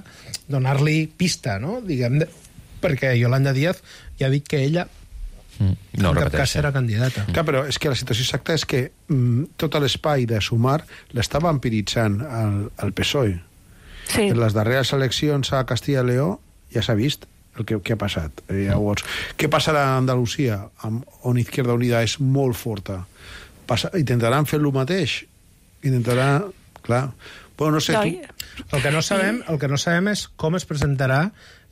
donar-li pista, no? Diguem, perquè Yolanda Díaz ja ha dit que ella mm. no, en cap cas era candidata. Clar, però és que la situació exacta és que mm, tot l'espai de Sumar l'està vampiritzant el, el P S O E. Sí. En les darreres eleccions a Castilla i Lleó ja s'ha vist el que, que ha passat. Eh, llavors, què passarà a Andalusia, on Izquierda Unida és molt forta? Passa, intentaran fer el mateix? Intentarà... Clar. Bueno, no sé, tu... El que no sabem, el que no sabem és com es presentarà,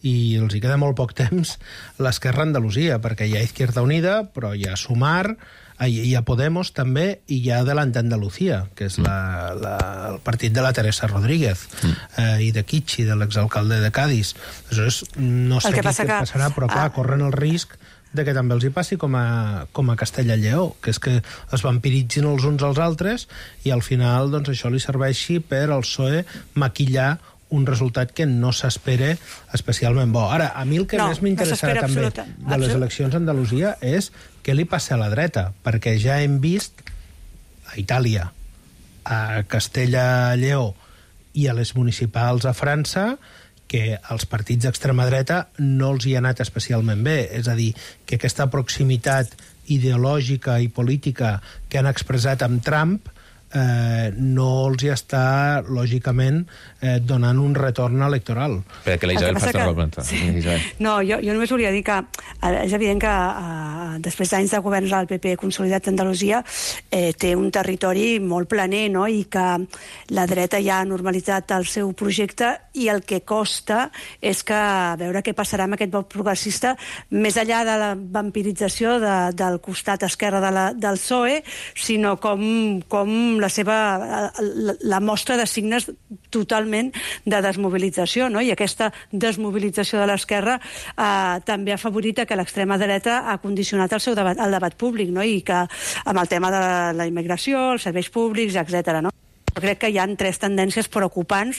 i els hi queda molt poc temps, l'Esquerra Andalusia, perquè hi ha Izquierda Unida, però hi ha Sumar, hi ha Podemos també, i hi ha Adelante Andalucía, que és la, la, el partit de la Teresa Rodríguez, mm. eh, i de Kichi, de l'exalcalde de Cádiz. Aleshores, no sé què passa que... passarà, però clar, ah. corren el risc de que també els hi passi com a, com a Castella i Lleó, que és que es vampiritzin els uns als altres i al final doncs, això li serveixi per al P S O E maquillar un resultat que no s'espera especialment bo. Ara, a mi el que no, més m'interessarà no també absoluta. de les eleccions a Andalusia és què li passa a la dreta, perquè ja hem vist a Itàlia, a Castella i Lleó i a les municipals a França que als partits d'extrema dreta no els hi ha anat especialment bé. És a dir, que aquesta proximitat ideològica i política que han expressat amb Trump eh, no els hi està, lògicament, eh, donant un retorn electoral. Perquè la Isabel fa la planta. Sí. No, jo, jo només volia dir que eh, és evident que eh, després d'anys de governs del P P consolidat a Andalusia eh, té un territori molt planer, no? I que la dreta ja ha normalitzat el seu projecte i el que costa és que a veure què passarà amb aquest vot progressista més enllà de la vampirització de, del costat esquerre de la, del P S O E, sinó com, com la seva la, la mostra de signes totalment de desmobilització, no? I aquesta desmobilització de l'esquerra eh, també ha favorit que l'extrema dreta ha condicionat el seu debat, el debat públic, no? I que amb el tema de la, la immigració, els serveis públics, etcètera, no? Jo crec que hi ha tres tendències preocupants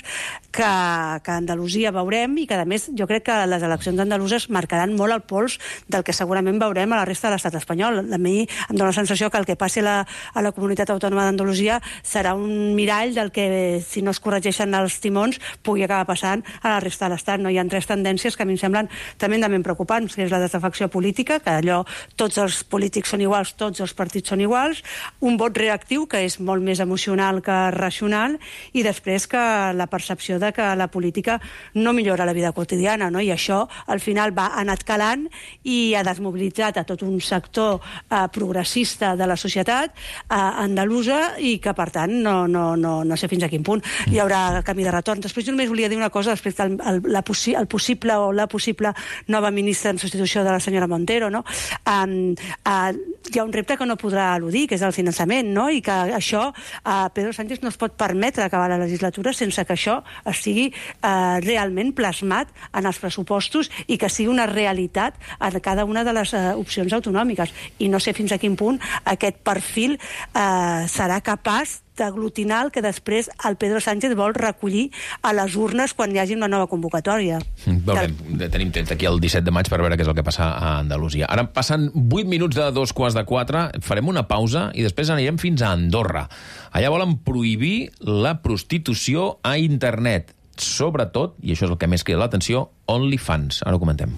que, que a Andalusia veurem i que, a més, jo crec que les eleccions andaluses marcaran molt el pols del que segurament veurem a la resta de l'estat espanyol. A mi em dóna la sensació que el que passi a la, a la comunitat autònoma d'Andalusia serà un mirall del que, si no es corregeixen els timons, pugui acabar passant a la resta de l'estat. No? Hi ha tres tendències que a mi em semblen tremendament preocupants, que és la desafecció política, que allò tots els polítics són iguals, tots els partits són iguals, un vot reactiu, que és molt més emocional que racional, i després que la percepció de que la política no millora la vida quotidiana, no? I això al final va anat calant i ha desmobilitzat a tot un sector eh, progressista de la societat eh, andalusa i que per tant no, no, no, no sé fins a quin punt hi haurà camí de retorn. Després jo només volia dir una cosa respecte al el, la possi el possible o la possible nova ministra en substitució de la senyora Montero, no? Um, uh, hi ha un repte que no podrà eludir, que és el finançament, no? I que això uh, Pedro Sánchez no es pot permetre acabar la legislatura sense que això estigui eh, realment plasmat en els pressupostos i que sigui una realitat en cada una de les eh, opcions autonòmiques. I no sé fins a quin punt aquest perfil eh, serà capaç d'aglutinar el que després el Pedro Sánchez vol recollir a les urnes quan hi hagi una nova convocatòria. Veurem, tenim temps aquí el disset de maig per veure què és el que passa a Andalusia. Ara passen vuit minuts de dos quarts de quatre, farem una pausa i després anirem fins a Andorra. Allà volen prohibir la prostitució a internet. Sobretot, i això és el que més crida l'atenció, OnlyFans. Ara ho comentem.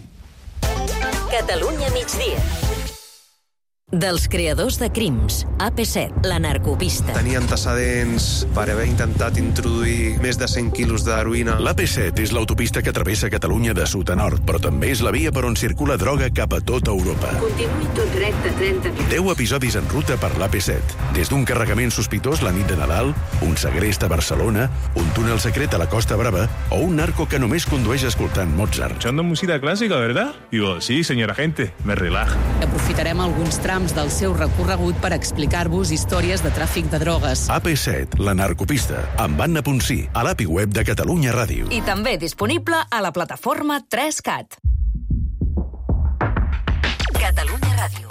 Catalunya migdia. Dels creadors de Crims, A P set, la narcopista. Tenia antecedents per haver intentat introduir més de cent quilos d'heroïna. L'A P set és l'autopista que travessa Catalunya de sud a nord, però també és la via per on circula droga cap a tota Europa. Continuï tot recte trenta minuts. deu episodis en ruta per l'A P set. Des d'un carregament sospitós la nit de Nadal, un segrest a Barcelona, un túnel secret a la Costa Brava o un narco que només condueix escoltant Mozart. Escuchando música clásica, ¿verdad? Digo, sí, señor agente, me relaja. Aprofitarem alguns trams del seu recorregut per explicar-vos històries de tràfic de drogues. A P set, la narcopista, amb Anna Ponsí, a l'A P I web de Catalunya Ràdio. I també disponible a la plataforma tres cat. Catalunya Ràdio.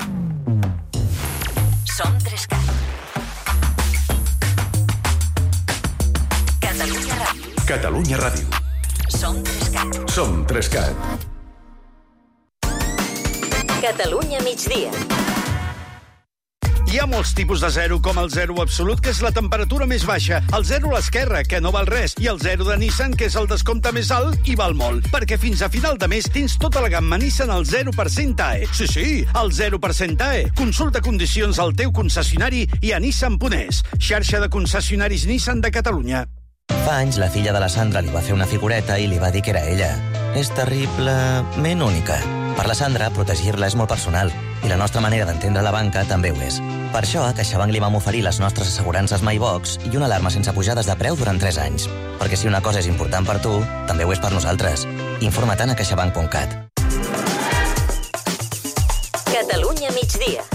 Som tres cat. Catalunya Ràdio. Catalunya Ràdio. Som tres cat. Som tres cat. Catalunya migdia. Hi ha molts tipus de zero, com el zero absolut, que és la temperatura més baixa, el zero a l'esquerra, que no val res, i el zero de Nissan, que és el descompte més alt i val molt. Perquè fins a final de mes tens tota la gamma Nissan al zero per cent A E. Sí, sí, al zero per cent A E. Consulta condicions al teu concessionari i a Nissan punt es, xarxa de concessionaris Nissan de Catalunya. Fa anys la filla de la Sandra li va fer una figureta i li va dir que era ella. És terriblement única. Per la Sandra, protegir-la és molt personal i la nostra manera d'entendre la banca també ho és. Per això, a CaixaBank li vam oferir les nostres assegurances MyBox i una alarma sense pujades de preu durant tres anys. Perquè si una cosa és important per tu, també ho és per nosaltres. Informa't a caixabank punt cat. Catalunya migdia.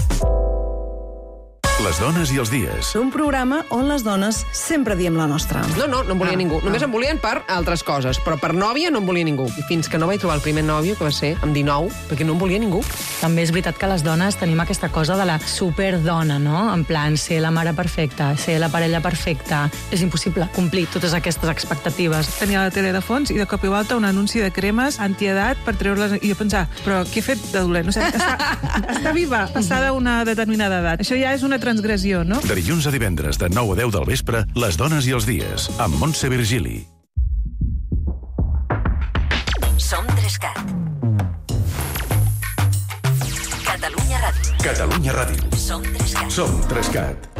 Les dones i els dies. Un programa on les dones sempre diem la nostra. No, no, no em volia Ah, ningú. Només ah. em volien per altres coses, però per nòvia no em volia ningú. I fins que no vaig trobar el primer nòvio, que va ser amb dinou, perquè no em volia ningú. També és veritat que les dones tenim aquesta cosa de la superdona, no? En plan, ser la mare perfecta, ser la parella perfecta. És impossible complir totes aquestes expectatives. Tenia la tele de fons i de cop i volta un anunci de cremes antiedat per treure-les... I jo pensar, però què he fet de dolent? O sigui, està, està viva, passada una determinada edat. Això ja és una transgressió, no? De dilluns a divendres, de nou a deu del vespre, Les dones i els dies, amb Montse Virgili. Som tres cat. Catalunya Ràdio. Catalunya Ràdio. Som tres cat. Som tres cat.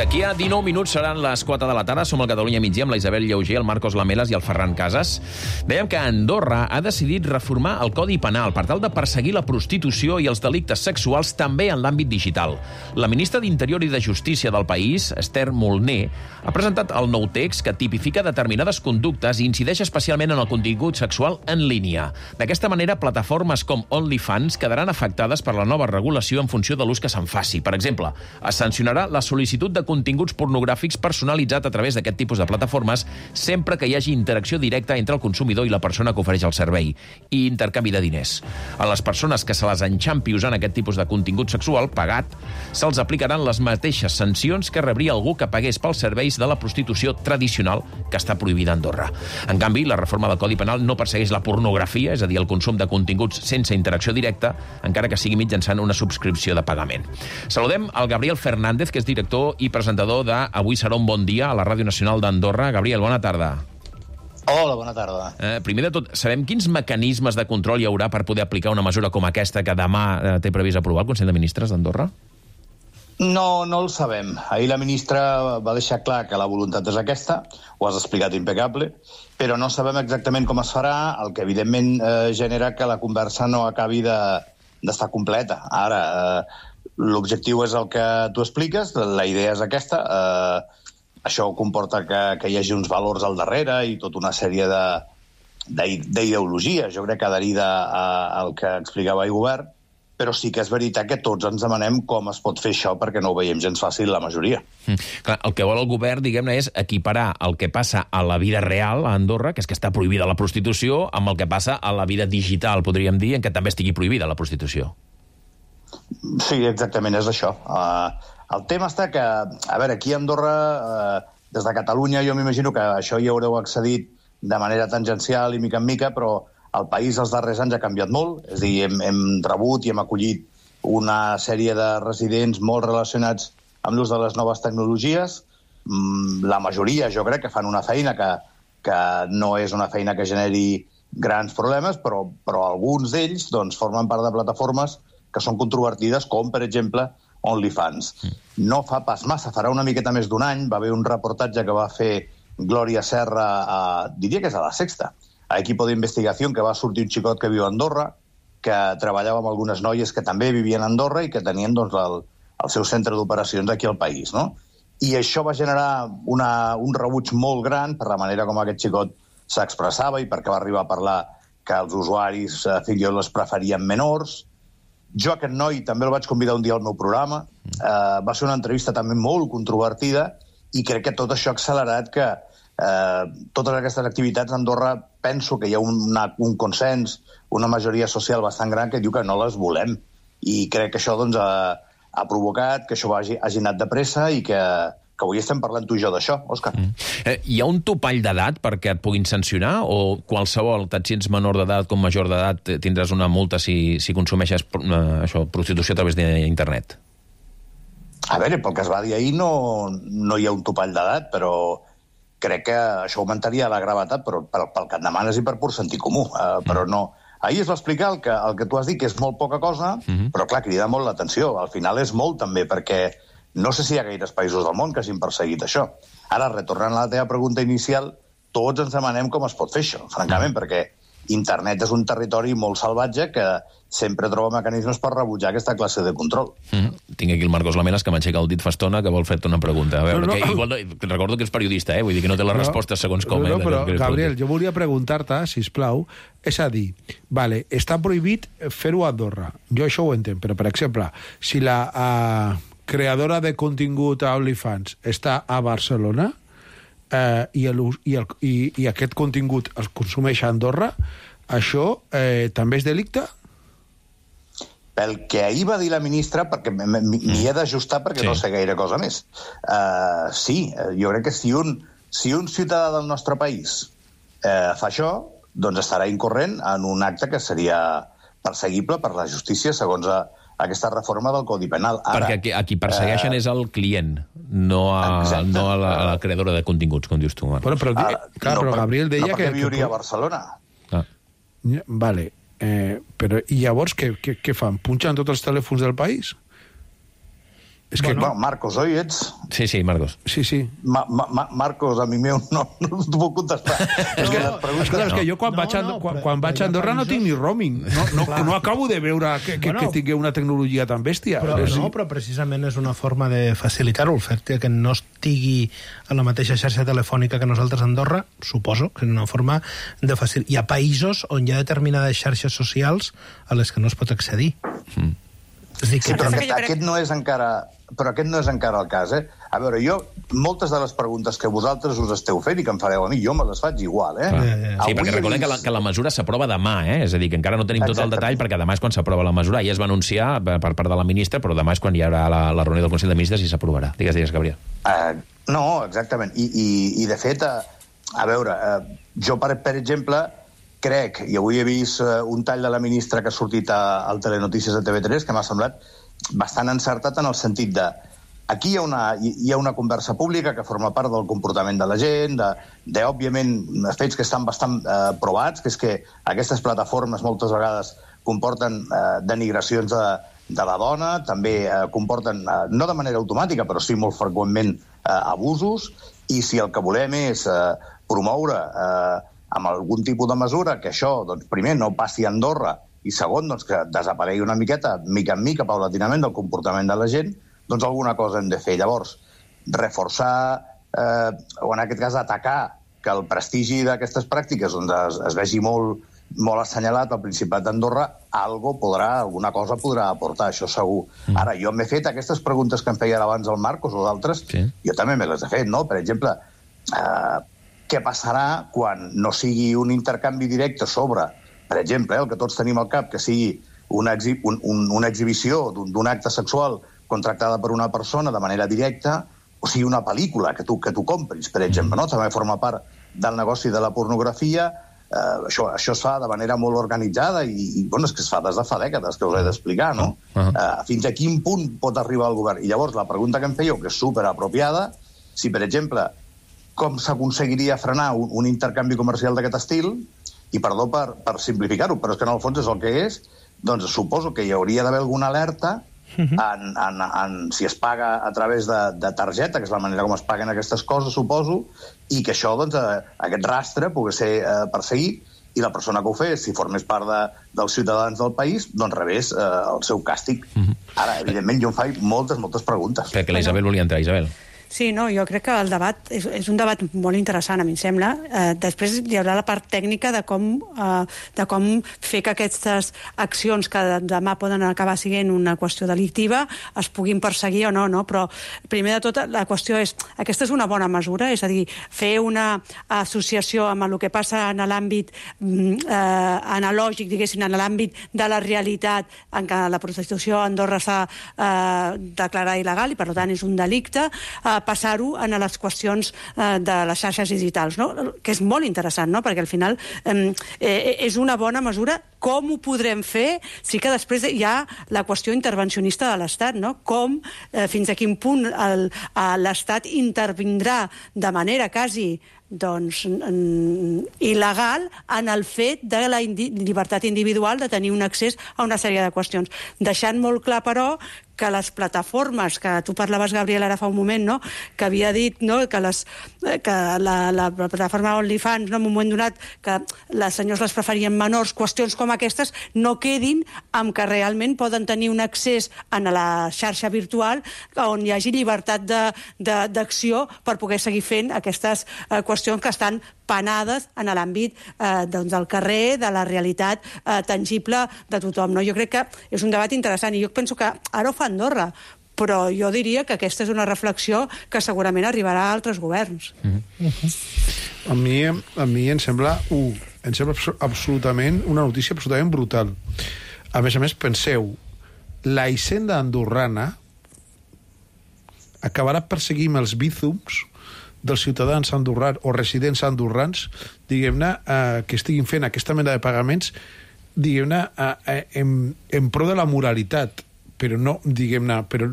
D'aquí a dinou minuts seran les quatre de la tarda. Som al Catalunya migdia amb la Isabel Lleuger, el Marcos Lamelas i el Ferran Casas. Dèiem que Andorra ha decidit reformar el Codi Penal per tal de perseguir la prostitució i els delictes sexuals també en l'àmbit digital. La ministra d'Interior i de Justícia del país, Esther Molné, ha presentat el nou text que tipifica determinades conductes i incideix especialment en el contingut sexual en línia. D'aquesta manera, plataformes com OnlyFans quedaran afectades per la nova regulació en funció de l'ús que se'n faci. Per exemple, es sancionarà la sol·licitud de continguts pornogràfics personalitzat a través d'aquest tipus de plataformes sempre que hi hagi interacció directa entre el consumidor i la persona que ofereix el servei i intercanvi de diners. A les persones que se les enxampi usant aquest tipus de contingut sexual pagat, se'ls aplicaran les mateixes sancions que rebria algú que pagués pels serveis de la prostitució tradicional que està prohibida a Andorra. En canvi, la reforma del Codi Penal no persegueix la pornografia, és a dir, el consum de continguts sense interacció directa, encara que sigui mitjançant una subscripció de pagament. Saludem al Gabriel Fernández, que és director i presentador de Avui serà un bon dia a la Ràdio Nacional d'Andorra. Gabriel, bona tarda. Hola, bona tarda. Eh, primer de tot, sabem quins mecanismes de control hi haurà per poder aplicar una mesura com aquesta que demà eh, té previst aprovar el Consell de Ministres d'Andorra? No, no el sabem. Ahir la ministra va deixar clar que la voluntat és aquesta, ho has explicat impecable, però no sabem exactament com es farà, el que evidentment eh, genera que la conversa no acabi de, d'estar completa. Ara, eh, l'objectiu és el que tu expliques, la idea és aquesta, eh, això comporta que, que hi hagi uns valors al darrere i tota una sèrie de, d'ideologia, jo crec que adherida al que explicava el govern, però sí que és veritat que tots ens demanem com es pot fer això perquè no ho veiem gens fàcil la majoria. Mm. Clar, el que vol el govern, diguem-ne, és equiparar el que passa a la vida real a Andorra, que és que està prohibida la prostitució, amb el que passa a la vida digital, podríem dir, en què també estigui prohibida la prostitució. Sí, exactament, és això. Uh, el tema està que, a veure, aquí a Andorra, uh, des de Catalunya, jo m'imagino que això hi haureu accedit de manera tangencial i mica en mica, però el país els darrers anys ha canviat molt. És a dir, hem, hem rebut i hem acollit una sèrie de residents molt relacionats amb l'ús de les noves tecnologies. Mm, la majoria, jo crec, que fan una feina que, que no és una feina que generi grans problemes, però, però alguns d'ells doncs, formen part de plataformes que són controvertides, com, per exemple, OnlyFans. No fa pas massa, farà una miqueta més d'un any, va haver un reportatge que va fer Glòria Serra, a, diria que és a La Sexta, a Equipo d'Investigació, que va sortir un xicot que viu a Andorra, que treballava amb algunes noies que també vivien a Andorra i que tenien doncs, el, el seu centre d'operacions aquí al país, no? I això va generar una, un rebuig molt gran per la manera com aquest xicot s'expressava i perquè va arribar a parlar que els usuaris eh, fins i tot les preferien menors. Jo aquest noi també el vaig convidar un dia al meu programa. Eh, va ser una entrevista també molt controvertida i crec que tot això ha accelerat que eh, totes aquestes activitats a Andorra penso que hi ha una, un consens, una majoria social bastant gran que diu que no les volem. I crec que això doncs, ha, ha provocat que això hagi, hagi anat de pressa i que, que avui estem parlant tu i jo d'això, Òscar. Mm. Eh, hi ha un topall d'edat perquè et puguin sancionar o qualsevol, tant si ets menor d'edat com major d'edat, tindràs una multa si, si consumeixes eh, això, prostitució a través d'internet? A veure, pel que es va dir ahir no, no hi ha un topall d'edat, però crec que això augmentaria la gravetat però, pel, pel que et demanes i per pur sentit comú. Uh, però no. Ahir es va explicar el que, el que tu has dit, que és molt poca cosa, mm-hmm. però clar, crida molt l'atenció. Al final és molt també, perquè no sé si hi ha gaires països del món que hagin perseguit això. Ara, retornant a la teva pregunta inicial, tots ens demanem com es pot fer això, francament, mm. perquè internet és un territori molt salvatge que sempre troba mecanismes per rebutjar aquesta classe de control. Mm-hmm. Tinc aquí el Marcos Lamenas, que m'aixeca el dit fa estona, que vol fer-te una pregunta. A veure, no, no. Que igual, recordo que ets periodista, eh? Vull dir que no té les no, respostes segons com. No, eh? però, Gabriel, jo volia preguntar-te, sisplau, és a dir, vale, està prohibit fer-ho a Andorra. Jo això ho entenc, però, per exemple, si la uh, creadora de contingut a OnlyFans està a Barcelona, Eh, i, el, i, el, i, i aquest contingut es consumeix a Andorra, això eh, també és delicte? Pel que ahir va dir la ministra, perquè m'hi he d'ajustar perquè sí. no sé gaire cosa més. Uh, sí, jo crec que si un, si un ciutadà del nostre país eh, fa això, doncs estarà incorrent en un acte que seria perseguible per la justícia segons a, aquesta reforma del Codi Penal. Ara, perquè aquí, a qui persegueixen eh... és el client, no a, no a, la, a la creadora de continguts, com dius tu. Bueno, però, Ara, clar, no, però Gabriel deia no que... No, perquè viuria a Barcelona. Ah. Vale, eh, però i llavors què, què, què fan? Punxen tots els telèfons del país? És que, bueno, Marcos, oi ets? Sí, sí, Marcos. Sí, sí. Ma, ma, Marcos, a mi meu no, no t'ho puc contestar. No, és que, preguntes... Esclar, és que jo quan no, vaig a, no, quan, quan vaig a Andorra no tinc ni roaming. No, no, no acabo de veure que, que, bueno, que tingui una tecnologia tan bèstia. Però, sí. No, però precisament és una forma de facilitar-ho. El fet que no estigui a la mateixa xarxa telefònica que nosaltres a Andorra, suposo que és una forma de facilitar. Hi ha països on hi ha determinades xarxes socials a les que no es pot accedir. Mm. És dir, que sí, però aquest, aquest no és encara... Però aquest no és encara el cas, eh? A veure, jo, moltes de les preguntes que vosaltres us esteu fent i que em fareu a mi, jo me les faig igual, eh? Ah. Sí, Avui perquè recordem vist... que, la, que la mesura s'aprova demà, eh? És a dir, que encara no tenim Exactament. tot el detall, perquè demà és quan s'aprova la mesura. Ja es va anunciar per part de la ministra, però demà és quan hi haurà la, la reunió del Consell de Ministres i s'aprovarà. Digues, digues, Gabriel. Uh, no, exactament. I, i, i de fet, uh, a veure, uh, jo, per, per exemple, crec, i avui he vist uh, un tall de la ministra que ha sortit a, al Telenotícies de T V tres, que m'ha semblat bastant encertat en el sentit de aquí hi ha, una, hi ha una conversa pública que forma part del comportament de la gent, de, de òbviament, fets que estan bastant eh, provats, que és que aquestes plataformes moltes vegades comporten eh, denigracions de, de la dona, també eh, comporten, eh, no de manera automàtica, però sí molt freqüentment eh, abusos, i si el que volem és eh, promoure eh, amb algun tipus de mesura que això, doncs, primer, no passi a Andorra, i segon, doncs, que desaparegui una miqueta, mica en mica, paulatinament, del comportament de la gent, doncs alguna cosa hem de fer. Llavors, reforçar, eh, o en aquest cas atacar, que el prestigi d'aquestes pràctiques doncs, es, es vegi molt, molt assenyalat al Principat d'Andorra, algo podrà, alguna cosa podrà aportar, això segur. Mm. Ara, jo m'he fet aquestes preguntes que em feia abans el Marcos o d'altres, sí. jo també me les he fet, no? Per exemple, eh, què passarà quan no sigui un intercanvi directe sobre, per exemple, eh, el que tots tenim al cap, que sigui una, exhi un, un, una exhibició d'un acte sexual contractada per una persona de manera directa, o sigui, una pel·lícula que tu, que tu compris, per exemple, no? També forma part del negoci de la pornografia. Uh, això, això es fa de manera molt organitzada i, i bueno, és que es fa des de fa dècades, que us he d'explicar, no? Uh -huh. uh, fins a quin punt pot arribar el govern? I llavors la pregunta que em fèieu, que és superapropiada, si, per exemple, com s'aconseguiria frenar un, un intercanvi comercial d'aquest estil, i perdó per, per simplificar-ho, però és que en el fons és el que és, doncs suposo que hi hauria d'haver alguna alerta en, en, en, si es paga a través de, de targeta, que és la manera com es paguen aquestes coses, suposo, i que això, doncs, eh, aquest rastre pugui ser eh, perseguit i la persona que ho fes, si formés part de, dels ciutadans del país, doncs rebés eh, el seu càstig. Uh-huh. Ara, evidentment, jo em faig moltes, moltes preguntes. Perquè la Isabel volia entrar, Isabel. Sí, no, jo crec que el debat és, és un debat molt interessant, a mi em sembla. Eh, després hi haurà la part tècnica de com, eh, de com fer que aquestes accions que demà poden acabar sent una qüestió delictiva es puguin perseguir o no, no? Però primer de tot la qüestió és, aquesta és una bona mesura, és a dir, fer una associació amb el que passa en l'àmbit eh, analògic, diguéssim, en l'àmbit de la realitat en què la prostitució a Andorra s'ha eh, declarat il·legal i per tant és un delicte, eh, passar-ho a les qüestions eh, de les xarxes digitals, no? Que és molt interessant, no? Perquè al final eh, eh, és una bona mesura. Com ho podrem fer? Sí que després hi ha la qüestió intervencionista de l'Estat, no? Com, eh, fins a quin punt l'Estat intervindrà de manera quasi doncs, il·legal en el fet de la indi llibertat individual de tenir un accés a una sèrie de qüestions. Deixant molt clar, però, que les plataformes, que tu parlaves, Gabriel, ara fa un moment, no? Que havia dit, no? que, les, que la, la plataforma OnlyFans, no? en un moment donat, que les senyors les preferien menors, qüestions com aquestes no quedin amb que realment poden tenir un accés a la xarxa virtual on hi hagi llibertat d'acció per poder seguir fent aquestes eh, qüestions que estan penades en l'àmbit eh, doncs, del carrer, de la realitat eh, tangible de tothom. No? Jo crec que és un debat interessant i jo penso que ara ho fa Andorra, però jo diria que aquesta és una reflexió que segurament arribarà a altres governs. Mm-hmm. A mi, a mi em sembla, uh, em sembla absolutament una notícia absolutament brutal. A més a més, penseu, la Hisenda andorrana acabarà perseguint els bízums dels ciutadans andorrans o residents andorrans, diguem-ne, eh, que estiguin fent aquesta mena de pagaments, diguem-ne, eh, en, en pro de la moralitat, però no, diguem-ne, però,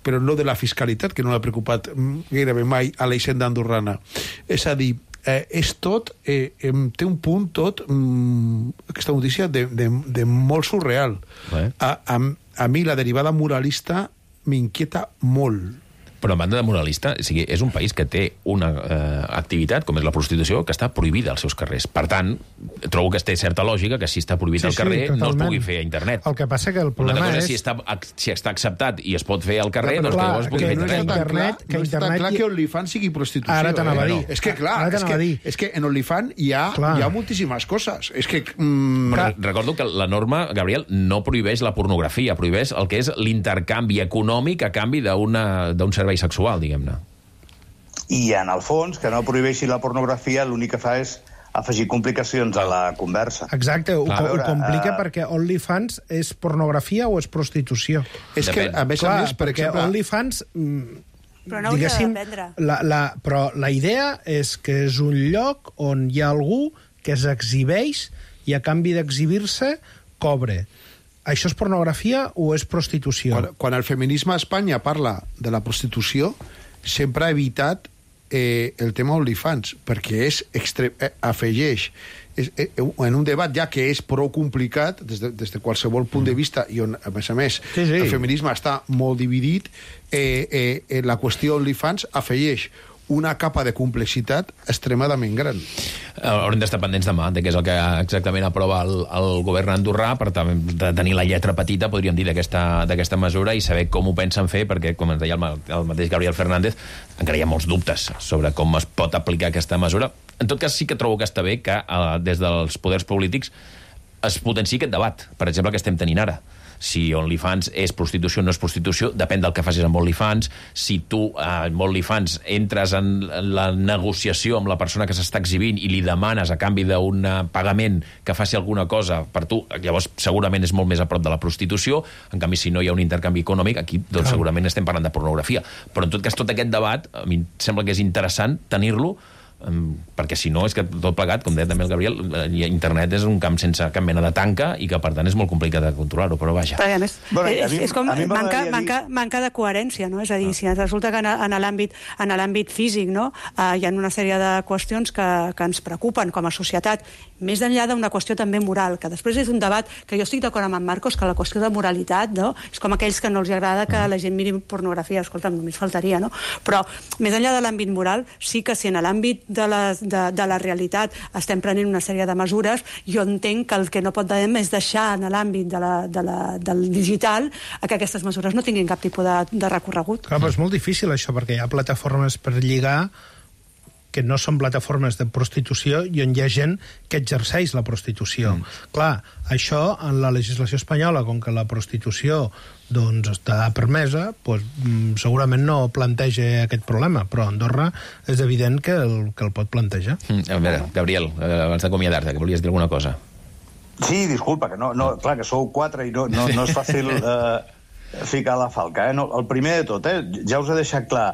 però no de la fiscalitat, que no l'ha preocupat gairebé mai a la Hisenda andorrana. És a dir, eh, és tot, eh, té un punt tot, mm, aquesta notícia, de, de, de molt surreal. Eh? A, a, a mi la derivada moralista m'inquieta molt. Però a banda de moralista, o sigui, és un país que té una eh, activitat, com és la prostitució, que està prohibida als seus carrers. Per tant, trobo que té certa lògica que si està prohibit sí, al carrer sí, no es pugui fer a internet. El que passa que el problema Una cosa és... Si està, si està acceptat i es pot fer al carrer, però, doncs clar, que llavors es pugui fer a internet. internet, que no està clar que OnlyFans sigui prostitució. Ara t'anava a dir. Eh? És que, clar, és que, és que en OnlyFans hi ha, hi ha moltíssimes coses. És que... Mm, però recordo que la norma, Gabriel, no prohibeix la pornografia, prohibeix el que és l'intercanvi econòmic a canvi d'un servei sexual, diguem-ne. I, en el fons, que no prohibeixi la pornografia, l'únic que fa és afegir complicacions a la conversa. Exacte, ho, veure, ho complica uh... perquè OnlyFans és pornografia o és prostitució? És que, a més Clar, a més, per perquè exemple... OnlyFans... Mm, però no hauria de vendre. La, la, però la idea és que és un lloc on hi ha algú que s'exhibeix i a canvi d'exhibir-se cobre. Això és pornografia o és prostitució? Quan, quan el feminisme a Espanya parla de la prostitució, sempre ha evitat eh, el tema OnlyFans, perquè és extre... eh, afegeix és, eh, en un debat ja que és prou complicat des de, des de qualsevol punt de vista i on, a més a més, sí, sí. el feminisme està molt dividit, eh, eh, la qüestió OnlyFans afegeix una capa de complexitat extremadament gran. Haurem d'estar pendents demà de què és el que exactament aprova el, el govern andorrà per de tenir la lletra petita, podríem dir, d'aquesta mesura i saber com ho pensen fer, perquè, com ens deia el, el mateix Gabriel Fernández, encara hi ha molts dubtes sobre com es pot aplicar aquesta mesura. En tot cas, sí que trobo que està bé que eh, des dels poders polítics es potenciï aquest debat, per exemple, que estem tenint ara. si OnlyFans és prostitució o no és prostitució, depèn del que facis amb OnlyFans. Si tu eh, amb OnlyFans entres en la negociació amb la persona que s'està exhibint i li demanes a canvi d'un pagament que faci alguna cosa per tu, llavors segurament és molt més a prop de la prostitució. En canvi, si no hi ha un intercanvi econòmic, aquí doncs, segurament estem parlant de pornografia. Però en tot cas, tot aquest debat, a mi em sembla que és interessant tenir-lo, perquè si no és que tot plegat, com deia també el Gabriel, internet és un camp sense cap mena de tanca i que per tant és molt complicat de controlar-ho, però vaja. Però a més, Bueno, és, a mi- és com a mi manca, m'agradaria manca, manca de coherència, no? És a dir, si resulta que en, en l'àmbit en l'àmbit físic, no? Uh, hi ha una sèrie de qüestions que, que ens preocupen com a societat, més enllà d'una qüestió també moral, que després és un debat que jo estic d'acord amb en Marcos, que la qüestió de moralitat, no? És com aquells que no els agrada que la gent miri pornografia, escolta'm, només faltaria, no? Però més enllà de l'àmbit moral, sí que si en l'àmbit de, les, de, de la realitat estem prenent una sèrie de mesures, jo entenc que el que no pot podem és deixar en l'àmbit de la, de la, del digital que aquestes mesures no tinguin cap tipus de, de recorregut. Clar, però és molt difícil això, perquè hi ha plataformes per lligar que no són plataformes de prostitució i on hi ha gent que exerceix la prostitució. Mm. Clar, això en la legislació espanyola, com que la prostitució doncs, està permesa, doncs, segurament no planteja aquest problema, però a Andorra és evident que el, que el pot plantejar. Mm, a veure, Gabriel, abans d'acomiadar-te, que volies dir alguna cosa. Sí, disculpa, que no, no, clar, que sou quatre i no, no, no és fàcil eh, ficar la falca. Eh? No, el primer de tot, eh, ja us he deixat clar,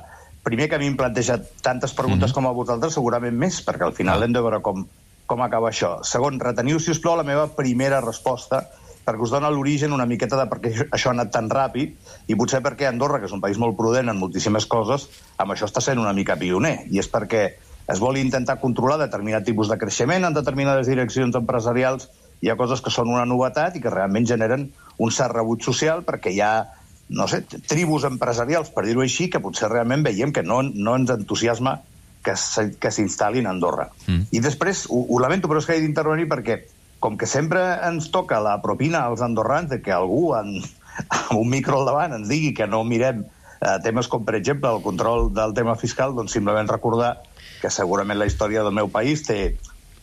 primer que a mi em planteja tantes preguntes mm-hmm. com a vosaltres, segurament més, perquè al final ah. hem de veure com, com acaba això. Segon, reteniu, si us plau, la meva primera resposta, perquè us dona l'origen una miqueta de per què això ha anat tan ràpid, i potser perquè Andorra, que és un país molt prudent en moltíssimes coses, amb això està sent una mica pioner, i és perquè es vol intentar controlar determinat tipus de creixement en determinades direccions empresarials. Hi ha coses que són una novetat i que realment generen un cert rebuig social, perquè hi ha, no sé, tribus empresarials, per dir-ho així, que potser realment veiem que no, no ens entusiasma que s'instal·lin a Andorra. Mm. I després, ho, ho lamento, però és que he d'intervenir perquè, com que sempre ens toca la propina als andorrans de que algú en, amb un micro al davant ens digui que no mirem eh, temes com, per exemple, el control del tema fiscal, doncs simplement recordar que segurament la història del meu país té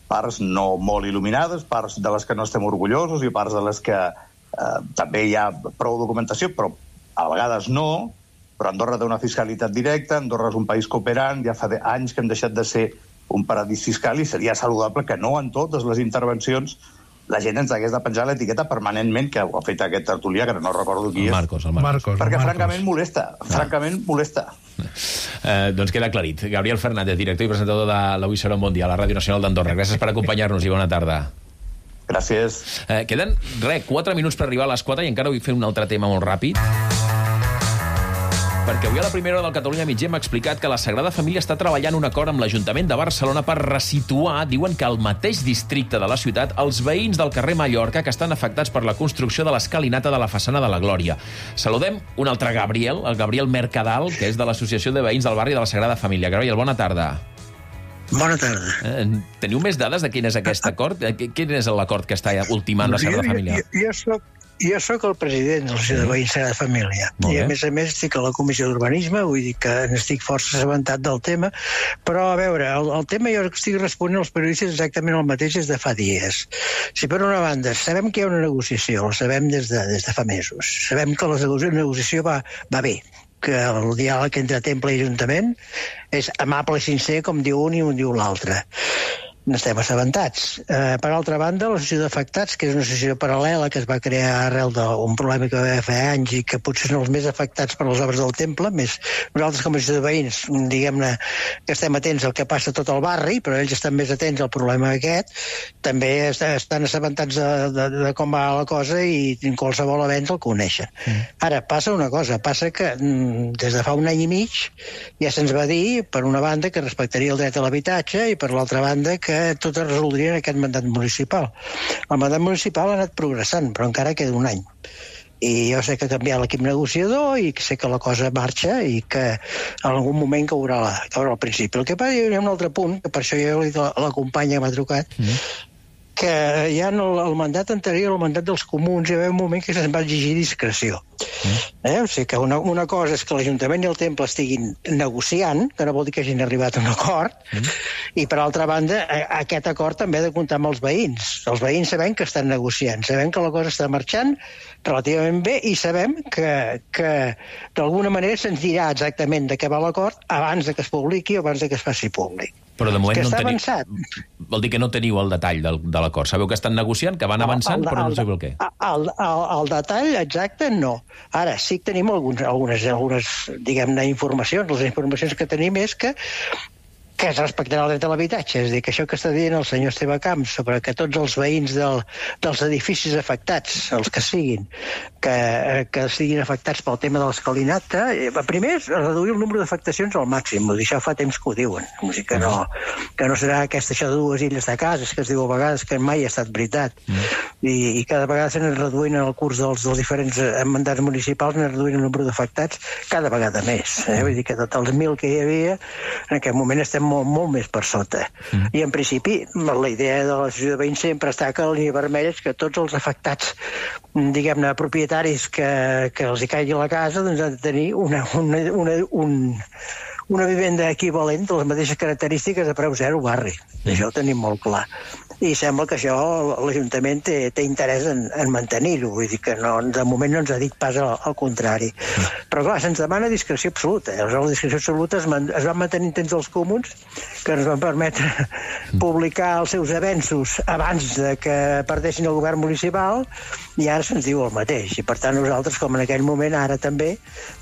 parts no molt il·luminades, parts de les que no estem orgullosos i parts de les que eh, també hi ha prou documentació, però a vegades no, però Andorra té una fiscalitat directa, Andorra és un país cooperant, ja fa anys que hem deixat de ser un paradís fiscal i seria saludable que no en totes les intervencions la gent ens hagués de penjar l'etiqueta permanentment, que ho ha fet aquest tertulià, que no recordo qui el és. Marcos, el Marcos. Marcos perquè el Marcos. francament molesta, ah. francament molesta. Eh, doncs queda aclarit. Gabriel Fernández, director i presentador de l'Avui serà un bon dia a la Ràdio Nacional d'Andorra. Gràcies per acompanyar-nos i bona tarda. Gràcies. Eh, queden, res, quatre minuts per arribar a les quatre i encara vull fer un altre tema molt ràpid. Perquè avui a la primera hora del Catalunya Migdia m'ha explicat que la Sagrada Família està treballant un acord amb l'Ajuntament de Barcelona per resituar, diuen que al mateix districte de la ciutat, els veïns del carrer Mallorca que estan afectats per la construcció de l'escalinata de la façana de la Glòria. Saludem un altre Gabriel, el Gabriel Mercadal, que és de l'Associació de Veïns del Barri de la Sagrada Família. Gabriel, bona tarda. Bona tarda. Eh, teniu més dades de quin és aquest acord? Quin és l'acord que està ultimant la Sagrada Família? Jo, jo, jo soc Jo sóc el president de l'Associació de Veïns Sagrada Família i a més a més estic a la Comissió d'Urbanisme, vull dir que n'estic força assabentat del tema, però a veure, el, el tema jo estic responent als periodistes exactament el mateix des de fa dies. Si per una banda sabem que hi ha una negociació, la sabem des de, des de fa mesos, sabem que la negociació va, va bé, que el diàleg entre Temple i Ajuntament és amable i sincer, com diu un i un diu l'altre. N'estem assabentats. Eh, per altra banda, l'associació d'afectats, que és una associació paral·lela que es va crear arrel d'un problema que va haver fa anys i que potser són els més afectats per les obres del temple, més nosaltres com a associació de veïns, diguem-ne que estem atents al que passa a tot el barri, però ells estan més atents al problema aquest, també estan assabentats de, de, de com va la cosa i qualsevol avenç el coneixen. Mm. Ara, passa una cosa, passa que des de fa un any i mig ja se'ns va dir, per una banda, que respectaria el dret a l'habitatge i per l'altra banda que tot es resoldria en aquest mandat municipal. El mandat municipal ha anat progressant, però encara queda un any. I jo sé que ha canviat l'equip negociador i sé que la cosa marxa i que en algun moment caurà, la, caurà al principi. El que passa, hi ha un altre punt, que per això jo he dit a la companya que m'ha trucat, mm. que ja en el, el mandat anterior, el mandat dels comuns, hi va haver un moment que se'ns va exigir discreció. Eh? O sigui que una, una cosa és que l'Ajuntament i el Temple estiguin negociant, que no vol dir que hagin arribat a un acord, mm. i per altra banda, aquest acord també ha de comptar amb els veïns. Els veïns sabem que estan negociant, sabem que la cosa està marxant relativament bé i sabem que, que d'alguna manera se'ns dirà exactament de què va l'acord abans de que es publiqui o abans de que es faci públic. Però de moment que no està teniu... avançat. Vol dir que no teniu el detall del, de l'acord. Sabeu que estan negociant, que van avançant, el, el, però no sabeu el què. El, el, el detall exacte, no. Ara, sí que tenim alguns, algunes, algunes diguem-ne, informacions. Les informacions que tenim és que que es respectarà el dret a l'habitatge. És a dir, que això que està dient el senyor Esteve Camps sobre que tots els veïns del, dels edificis afectats, els que siguin, que, que siguin afectats pel tema de l'escalinata, eh, primer és reduir el número d'afectacions al màxim. Això fa temps que ho diuen. O sigui, que, no, que no serà aquesta això de dues illes de cases, que es diu a vegades que mai ha estat veritat. I, i cada vegada s'han reduint en el curs dels, dels diferents mandats municipals, s'han reduint el número d'afectats cada vegada més. Eh? Vull dir que tots els mil que hi havia, en aquest moment estem molt, molt més per sota. Mm. I en principi la idea de l'associació de veïns sempre està que la línia vermella és que tots els afectats, diguem-ne, propietaris que, que els hi caigui a la casa, doncs han de tenir una, una, una, un, una vivenda equivalent de les mateixes característiques de preu zero barri. Mm. Això ho tenim molt clar. I sembla que això l'Ajuntament té, té interès en, en mantenir-ho, vull dir que no, de moment no ens ha dit pas al, al contrari. Però clar, se'ns demana discreció absoluta. Aleshores, la discreció absoluta es, man, es va mantenir temps dels comuns, que ens van permetre publicar els seus avenços abans de que perdessin el govern municipal, i ara se'ns diu el mateix. I per tant nosaltres, com en aquell moment, ara també,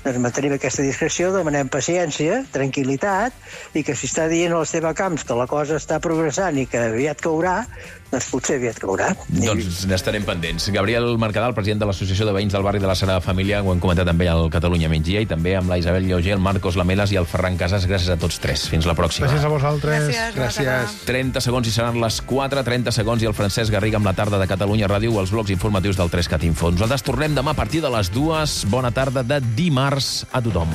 doncs mantenim aquesta discreció, demanem paciència, tranquil·litat, i que si està dient l'Esteve Camps que la cosa està progressant i que aviat caurà, doncs potser aviat caurà. Doncs n'estarem pendents. Gabriel Mercadal, president de l'Associació de Veïns del Barri de la Sagrada Família, ho hem comentat també al Catalunya Migdia, i també amb la Isabel Lloger, el Marcos Lamelas i el Ferran Casas. Gràcies a tots tres. Fins la pròxima. Gràcies a vosaltres. Gràcies. Gràcies. trenta segons i seran les quatre, trenta segons i el Francesc Garriga amb la tarda de Catalunya Ràdio, els blocs informatius del tres cat Info. Nosaltres tornem demà a partir de les dues. Bona tarda de dimarts a tothom.